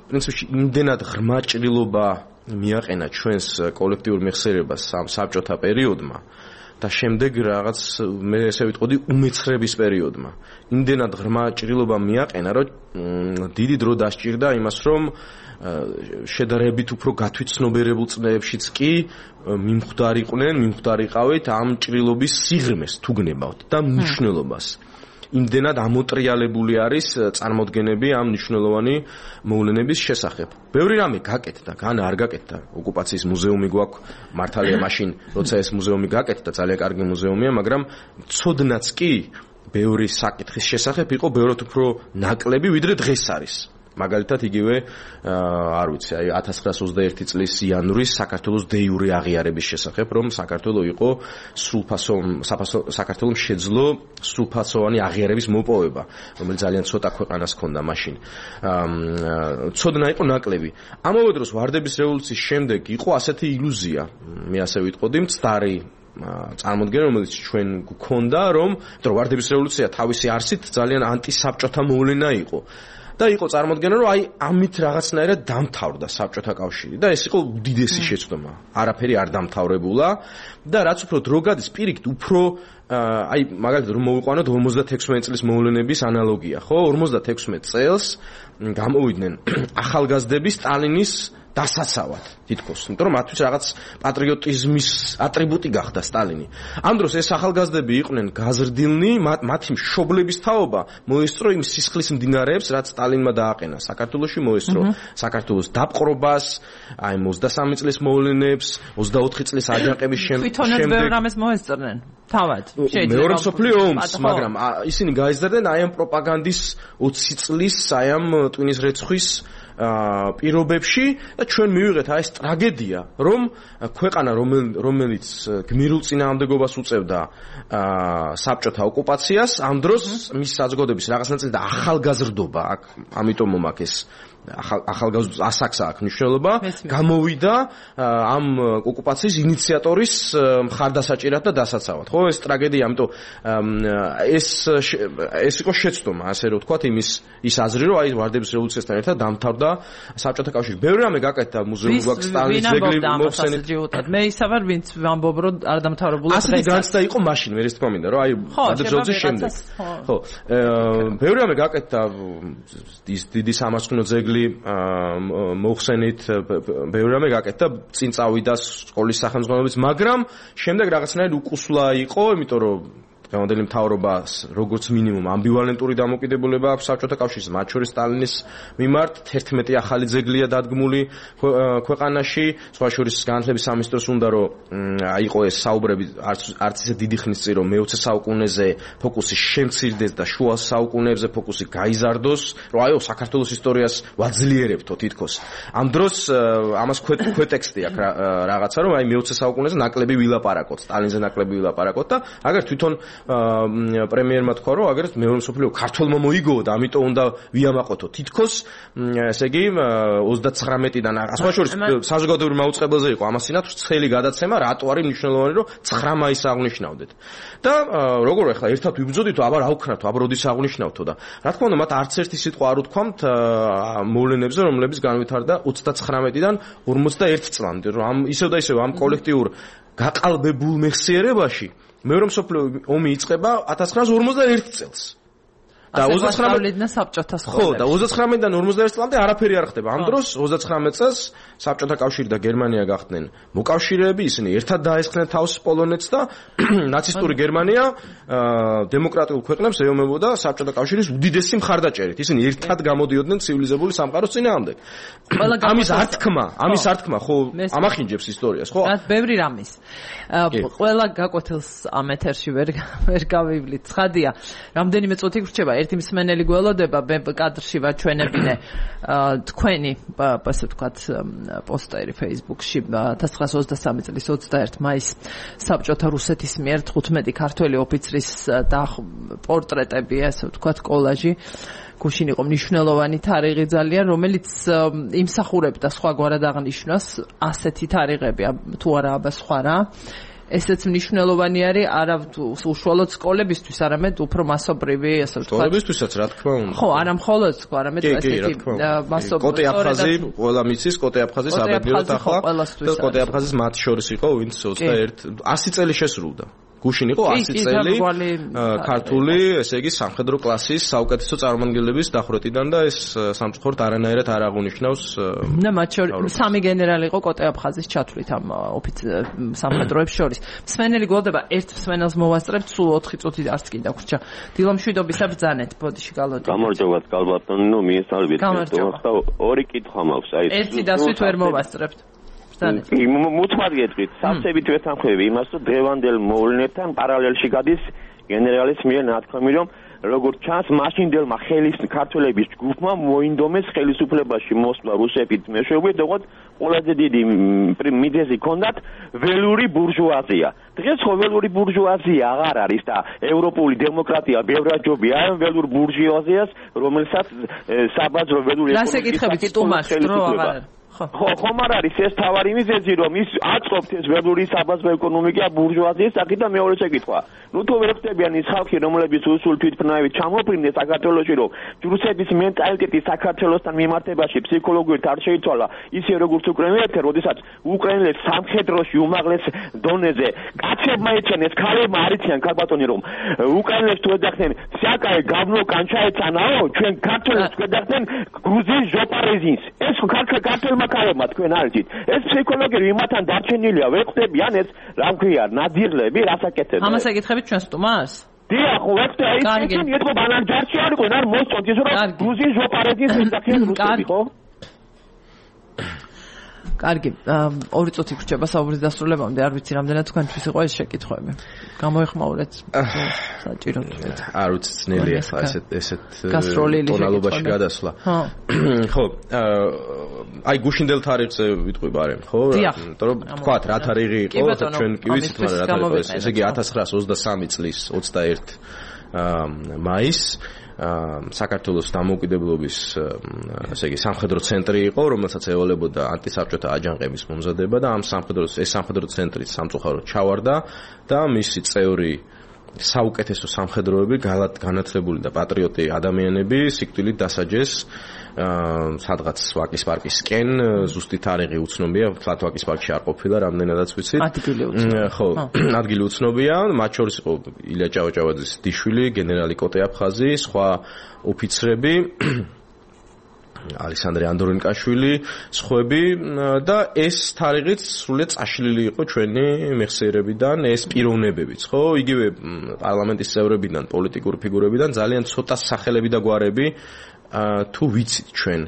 პრინციპში იმდენად ღრმა ჭრილობა მიაყენა ჩვენს კოლექტიურ მეხსიერებას საბჭოთა პერიოდმა და შემდეგ რაღაც მე ესე ვიტყოდი უმეცხრების პერიოდმა. იმდენად ღრმა ჭრილობა მიაყენა, რომ დიდი დრო დასჭირდა იმას, რომ შედარებით უფრო გათვითცნობიერებულ წლებშიც კი მიმხვდარიყავით ამ ჭრილობის სიღრმეს თუ გნებავთ და მნიშვნელობას. იმდენად ამოტრიალებული არის წარმოდგენები ამ მნიშვნელოვანი მოვლენების შესახებ. ბევრი რამე გაკეთდა, განა არ გაკეთდა. ოკუპაციის მუზეუმი გვაქვს, მართალია მაშინ, როცა ეს მუზეუმი გაკეთდა, ძალიან კარგი მუზეუმია, მაგრამ ცოდნაც კი ბევრი საკითხის შესახებ იყო ბევრად უფრო ნაკლები, ვიდრე დღეს არის. მაგალითად იგივე არ ვიცი, აი 1921 წლის იანვრის საქართველოს დეიურე აღიარების შესახებ, რომ საქართველო იყო საქართველომ შეძლო სრულფასოვანი აღიარების მოპოვება, რომელიც ძალიან ცოტა ქვეყანას ჰქონდა მაშინ. ცოდნა იყო ნაკლები. ამავე დროს ვარდების რევოლუციის შემდეგ იყო ასეთი ილუზია, მე ასე ვიტყოდი, მცდარი წარმოდგენა, რომელიც ჩვენ გვქონდა, რომ ვარდების რევოლუცია თავისი არსით ძალიან ანტისაბჭოთა მოვლენა იყო. და იყო წარმოდგენა, რომ აი ამით რაღაცნაირად დამთავრდა საბჭოთა კავშირი და ეს იყო უდიდესი შეცდომა. არაფერი არ დამთავრებულა და რაც უფრო დრო გადის, პირიქით უფრო აი მაგალითად რომ მოვიყვანოთ 56 წლის მოვლენების ანალოგია, ხო? 56 წელს გამოვიდნენ ახალგაზრდები სტალინის დასაცავად თითქოს, იმიტომ რომ მათთვის რაღაც პატრიოტიზმის ატრიბუტი გახდა სტალინი. ამ დროს ეს ახალგაზრდები იყვნენ გაზრდილნი, მათი მშობლების თაობა მოესწრო იმ სისხლის მდინარეებს, რაც სტალინმა დააყენა საქართველოში, მოესწრო საქართველოს დაპყრობას, აი 23 წლის მოვლენებს, 24 წლის აჯანყების შემდეგ. თვითონაც ბევრ რამეს მოესწრნენ. თავად. მეორე მსოფლიო ომს, მაგრამ ისინი გაიზარდნენ აი ამ პროპაგანდის 20 წლის აი ამ ტვინის რეცხვის პირობებში და ჩვენ მივიღეთ აი ეს ტრაგედია, რომ ქვეყანა რომელიც გმირულ წინააღმდეგობას უწევდა საბჭოთა ოკუპაციას, ამ დროს მის საზოგადოების რაღაც ნაწილი და ახალგაზრდობა აქ, ამიტომ მომაქ ეს ახალგაზრდობის ასაკს აქვს მნიშვნელობა, გამოვიდა ამ ოკუპაციის ინიციატორის მხარდასაჭირად და დასაცავად. ხო, ეს ტრაგედია, ამიტომ ეს იყო შეცდომა, ასე რომ ვთქვათ, ის აზრი, რომ აი ვარდების რევოლუციასთან ერთად დამთავრდა საბჭოთა კავშირი. ბევრი რამე გაკეთდა, მუზეუმი გვაქვს, სტალინის ძეგლი მოხსენეთ. მე ისა ვარ, ვინც ვამბობ, რომ არ დამთავრებულა დღეს. ასეთი განცდა იყო მაშინ, მე ეს თქმა მინდა, რომ აი ვარდების რევოლუციის შემდეგ. ხო, ბევრი რამე გაკეთდა, ის დიდი სამასკვნო ძეგლი მოხსენით, ბევრი რამე გაკეთდა, წინ წავიდა სკოლის სახელმძღვანელობის, მაგრამ შემდეგ რაღაცნაირად უკუსლა იყო, იმიტომ რომ დღევანდელი მთავრობას როგორც მინიმუმ ამბივალენტური დამოკიდებულება აქვს საბჭოთა კავშირის, მათ შორის სტალინის მიმართ 11 ახალი ძეგლია დადგმული ქვეყანაში, სხვა შორის განათლების სამინისტროს უნდა რომ აიყო ეს საუბრები არც ისე დიდი ხნის წინ, რომ მე-20 საუკუნეზე ფოკუსი შემცირდეს და შუა საუკუნეებზე ფოკუსი გაიზარდოს, რომ აიო საქართველოს ისტორიას ვაძლიერებთო თითქოს. ამ დროს ამას ქვეტექსტი აქვს რაღაცა, რომ აი მე-20 საუკუნეზე ნაკლები ვილაპარაკოთ, სტალინზე ნაკლები ვილაპარაკოთ და აგერ თვითონ პრემიერმა თქვა, რომ აგერ მეორე მსოფლიო ქართველმა მოიგოო და ამიტომ უნდა ვიამაყოთო. თითქოს ესე იგი 39-დან სხვა შორის საზოგადოებრივ მაუწყებელზე იყო ამასინათ ვრცელი გადაცემა, რატო არის მნიშვნელოვანი, რომ 9 მაისს აღნიშნავდეთ. და როგორ ახლა ერთად ვიბრძოდითო, აბა რა ვქნათო, აბა როდის აღნიშნავთო და რა თქმა უნდა, მათ არც ერთი სიტყვა არ უთქვამთ მოვლენებზე, რომლებიც განვითარდა 39-დან 51 წლამდე, რომ ისევ და ისევ ამ კოლექტიურ გაყალბებულ მეხსიერებაში მეორე მსოფლიო ომი იწყება 1951 წელს. და 29-დან საბჭოთა სკოლებში. ხო, და 29-დან 51 წლამდე არაფერი არ ხდება. ამ დროს 39 წელს საბჭოთა კავშირი და გერმანია გახდნენ მოკავშირეები, ისინი ერთად დაესხნენ თავს პოლონეთს და ნაცისტური გერმანია დემოკრატიულ ქვეყნებს ეომებოდა საბჭოთა კავშირის უდიდესი მხარდაჭერით. ისინი ერთად გამოდიოდნენ ცივილიზებული სამყაროს წინააღმდეგ. ამის ართქმა, ხო, ამახინჯებს ისტორიას, ხო? ბევრი რამის. ყველა გაკვეთილს ამ ეთერში ვერ გავივლით. ცხადია, რამდენიმე წუთი გრჩება. ერთი მსმენელი გველოდება კადრში ვაჩვენებინე თქვენი ასე ვთქვათ პოსტერი Facebook-ში 1923 წლის 21 მაისს საბჭოთა რუსეთის მიერ 15 ქართველი ოფიცრის პორტრეტები ასე ვთქვათ კოლაჟი გუშინ იყო მნიშვნელოვანი თარიღი ძალიან რომელიც იმსახურებდა სხვაგვარად აღნიშვნას ასეთი თარიღები თუ არა აბა სხვა რა ესეც მნიშვნელოვანი არის არა უშუალოდ სკოლებისთვის, არამედ უფრო მასობრივი, ასე ვთქვათ. სკოლებისთვისაც რა თქმა უნდა. ხო, არა მხოლოდ სკოლა, არამედ ესეთი მასობრივი. კოტე აფხაზი, ყველა მიცის კოტე აფხაზის აბედიერად ახლა და კოტე აფხაზის მათ შორის იყო ვინც 21 100 წელი შესრულდა. გუშინ იყო 100 წელი ქართული, ესე იგი სამხედრო კლასის საუკეთესო წარმომადგენლების დახვრეტიდან და ეს სამწუხაროდ არანაირად არ აღუნიშნავს და მათ შორის სამი გენერალი იყო კოტე აფხაზის ჩათვლით ამ სამხედროებს შორის. მსმენელი გველოდება ერთ მსმენელს მოვასწრებთ სულ 4 წუთი არც კი დაგვრჩა. დილომშვიდობისა ბრძანეთ, ბოდიში გალოდით. გამარჯობათ გალბატონი, ნუ მიესალმებით. და ორი კითხვა მაქვს, აი ერთი დასვით ვერ მოვასწრებთ. მუთმად გეტყვით, სავსებით ვეთანხმები იმას, რომ დღევანდელ მოვლენებთან პარალელში გადის გენერალის მიერ ნათქვამი, რომ როგორც ჩანს, მაშინდელმა ქართველების ჯგუფმა მოინდომეს ხელისუფლებაში მოსვლა რუსებით მეშვეობით, როგორც ყველაზე დიდი მიზეზი ჰქონდათ ველური ბურჟუაზია. დღეს ხო ველური ბურჟუაზია აღარ არის და ევროპული დემოკრატია ბევრად ჯობია ამ ველურ ბურჟუაზიას, რომელსაც საბაზრო ველური ეკონომიკის დრო აღარ ხო, ხომ არ არის ეს თავარი მიზეზი, რომ ის აწყობთ ეს ველური საბაზრო ეკონომიკა ბურჟუაზიის საკითხი და მეორე შეკითხვა. ნუ თუ ვერ ხდებიან ის ხალხი, რომლებიც უსულ თვითმფრინავით ჩამოფრინდნენ საქართველოში, რომ რუსეთის მენტალიტეტი საქართველოსთან მიმართებაში ფსიქოლოგიურად არ შეიცვალა, ისე როგორც უკრაინელთა, როდესაც უკრაინელებს სამხედროში უმაღლეს დონეზე კაცებმა ეცანეს, ქალებმა არ იციან ქალბატონი, რომ უკრაინელებს თუ ეძახდნენ, საკაი გაბნო კანჩაეცანაო, ჩვენ ქართველებს გვეძახდნენ გრუზიის ჟოპარეზინს. ეს ქართველმა ქალებმა თქვენ არ იცით. ეს ფსიქოლოგია იმათან დარჩენილია, ვერ ხდებიან ეს რა მქვია, ნადირლები, რასაკეთებენ. ამას ეკითხებით ჩვენ სტუმარს? დიახ, ხო, ეს ისინი ეთქო ბანანჯარში არ იყვნენ, არ მოსწონთ ის რომ გრუზიის ჟოპარეზინს ეძახიან რუსები, ხო? კარგი, 2 წუთი გრჩება საუბრის დასრულებამდე, არ ვიცი რამდენად თქვენთვის იყო ეს შეკითხვები. გამოეხმაურეთ საჭირო. არ ვიცი, ძნელია ხა ესეთ ტონალობაში გადასვლა. ხო, აი გუშინდელ თარიღზე ვიტყვი ბარემ, ხო? იმიტომ რომ თქვათ რა თარიღი იყო, ჩვენ კი ვიცით, მაგრამ რა თარიღი იყო, ესე იგი 1923 წლის 21 მაისს საქართველოს დამოუკიდებლობის ესე იგი სამხედრო ცენტრი იყო, რომელსაც ევალებოდა ანტისაბჭოთა აჯანყების მომზადება და ამ სამხედრო ცენტრის სამწუხაროდ ჩავარდა და მისი წევრი საუკეთესო სამხედროები, განათლებული და პატრიოტი ადამიანები სიკვდილით დასაჯეს სადღაც ვაკის პარკისკენ, ზუსტი თარიღი უცნობია, თლათ ვაკის პარკში არ ყოფილა, რამდენადაც ვიცით. ხო, ადგილი უცნობია, მათ შორის იყო ილია ჭავჭავაძის დიშვილი, გენერალი კოტე აფხაზი, სხვა ოფიცრები, ალექსანდრე ანდრონიკაშვილი, სხვები და ეს თარიღიც სრულიად წაშლილი იყო ჩვენი მეხსიერებიდან, ეს პიროვნებებიც, ხო? იგივე პარლამენტის წევრებიდან, პოლიტიკური ფიგურებიდან ძალიან ცოტა სახელები და გვარები თუ ვიცით ჩვენ.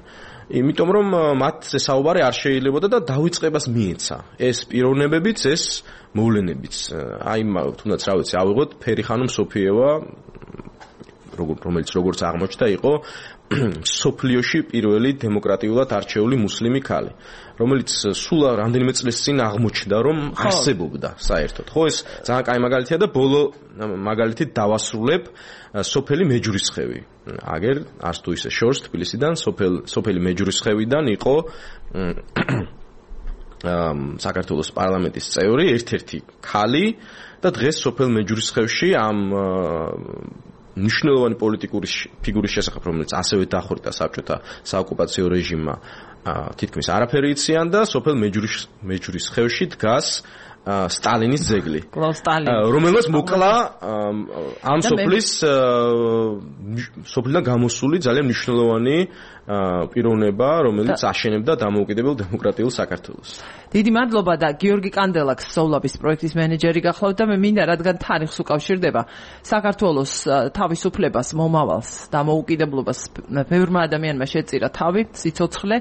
იმიტომ რომ მათზე საუბარი არ შეიძლებოდა და დავიწყებას მიეცა. ეს პიროვნებებიც, ეს მოვლენებიც. აი, თუნდაც რა ვიცი, ავიღოთ ფერიხანუმ სოფიევა, რომელიც როგორც აღმოჩნდა, იყო სოფლიოში პირველი დემოკრატიულად არჩეული მუსლიმი ქალი, რომელიც სულ რამდენიმე წლის წინ აღმოჩნდა, რომ არსებობდა საერთოდ. ხო, ეს ძალიან კაი მაგალითია და ბოლო მაგალითით დავასრულებ სოფელი მეჯურისხევი. აგერ არც თუ ისე შორს თბილისიდან სოფელი მეჯურისხევიდან იყო საქართველოს პარლამენტის წევრი, ერთ-ერთი ქალი და დღეს სოფელ მეჯურისხევში ამ მნიშვნელოვანი პოლიტიკური ფიგურის შესახებ, რომელიც ასევე დახვრიტა საბჭოთა საოკუპაციო რეჟიმმა, თითქმის არაფერი იციან და სოფელ მეჯურისხევში დგას სტალინის ძეგლი, რომელმაც მოკლა ამ სოფლიდან გამოსული ძალიან მნიშვნელოვანი პიროვნება, რომელიც აშენებდა დამოუკიდებელ დემოკრატიულ საქართველოს. დიდი მადლობა და გიორგი კანდელაკს სოვლაბის პროექტის მენეჯერი გახლავთ და მე მინდა რადგან თარიღს უკავშირდება საქართველოს თავისუფლებას, მომავალს, დამოუკიდებლობას ბევრმა ადამიანმა შეწირა თავი, სიცოცხლე,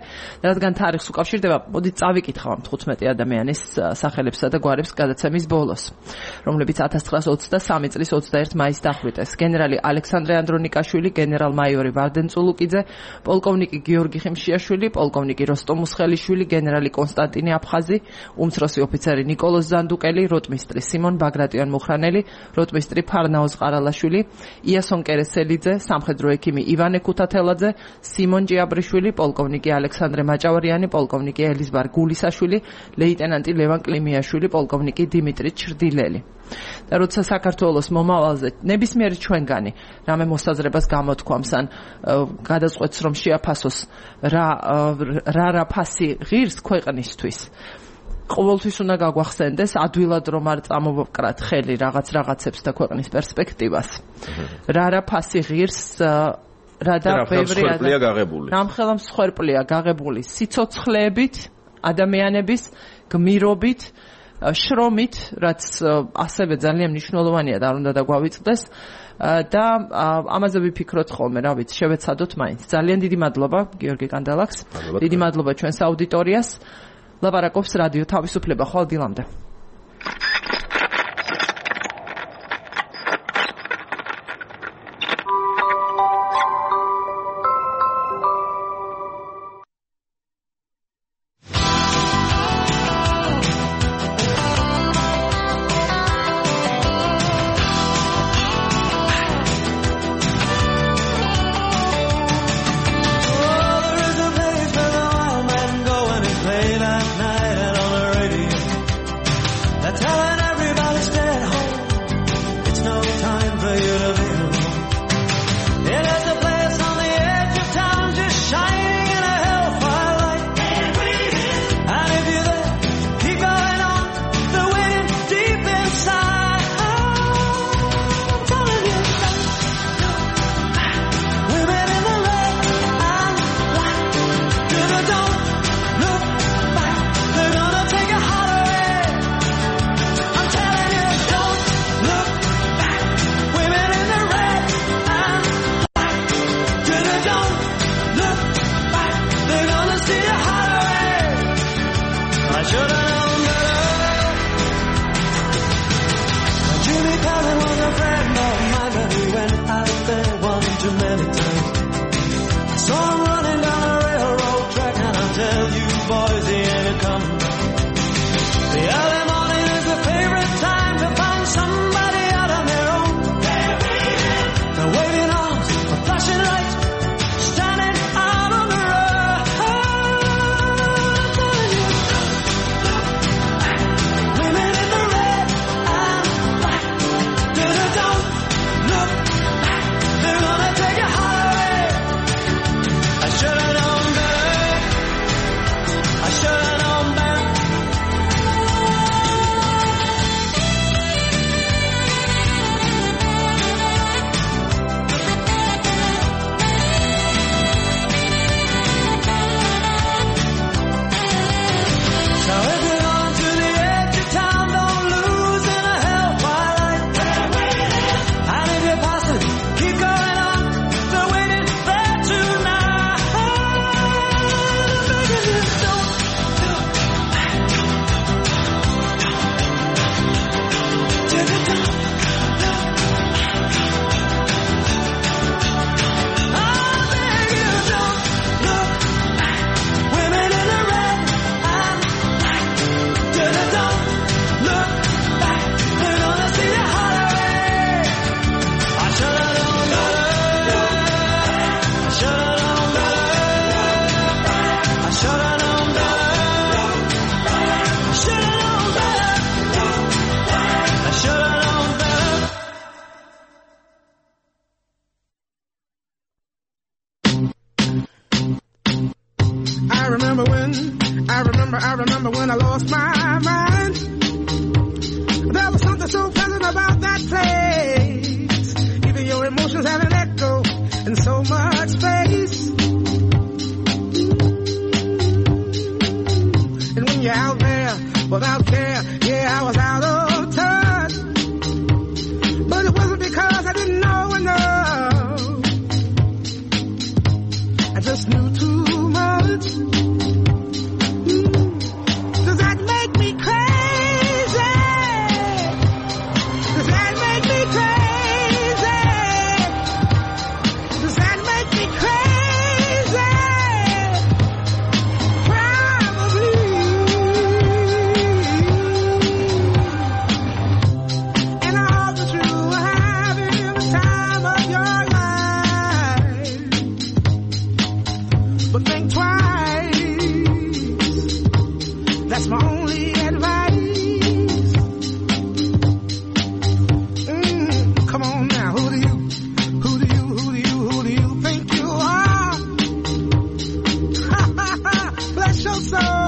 რადგან თარიღს უკავშირდება, მოდით წავიკითხავთ 15 ადამიანის სახელებსა და გვარებს გადაცემის ბოლოს, რომლებიც 1923 წლის 21 მაისს დახვრიტეს. გენერალი ალექსანდრე ანდრონიკაშვილი, გენერალ-მაიორი ვარდენ წულუკიძე, პოლკოვნიკი გიორგი ხიმშიაშვილი, პოლკოვნიკი როსტომ მუსხელიშვილი, გენერალი კონსტანტინე აფხაზი, უმცროსი ოფიცერი ნიკოლოზ ზანდუკელი, როტმისტრი სიმონ ბაგრატიონ მუხრანელი, როტმისტრი ფარნაოზ ყარალაშვილი, იასონ კერესელიძე, სამხედრო ექიმი ივანე ქუთათელაძე, სიმონ ჭიაბრიშვილი, პოლკოვნიკი ალექსანდრე მაჭავარიანი, პოლკოვნიკი ელიზბარ გულისაშვილი, ლეიტენანტი ლევან კლიმიაშვილი, პოლკოვნიკი დიმიტრი ჩრდილელი. და როცა საქართველოს მომავალზე ნებისმიერი ჩვენგანი რამე მოსაზრებას გამოთქვამს ან გადაწყვეტს რომ შეაფასოს რა ფასი ღირს ქვეყნისთვის, ყოველთვის უნდა გაგვახსენდეს ადვილად რომ არ წამოვკრათ ხელი რაღაცებს და ქვეყნის პერსპექტივას. რა ფასი ღირს რა და ბევრი რამხელა მსხვერპლია გაღებული სიცოცხლეებით, ადამიანების გმირობით, შრომით, რაც ასევე ძალიან მნიშვნელოვანია და არ უნდა დაგვავიწყდეს და ამაზე ვიფიქროთ ხოლმე, რა ვიცი, შევეცადოთ მაინც. ძალიან დიდი მადლობა გიორგი კანდელაკს. დიდი მადლობა ჩვენს აუდიტორიას. ლაპარაკობს რადიო თავისუფლება. ხვალ დილამდე. I remember when I lost my mind. There was something so pleasant about that place. Even your emotions have an echo in so much space. And when you're out there without care, yeah, I was out of touch. But it wasn't because I didn't know enough. I just knew too much. Does that make me crazy? think twice. That's my only advice. Come on now, who do you think you are? Bless your soul.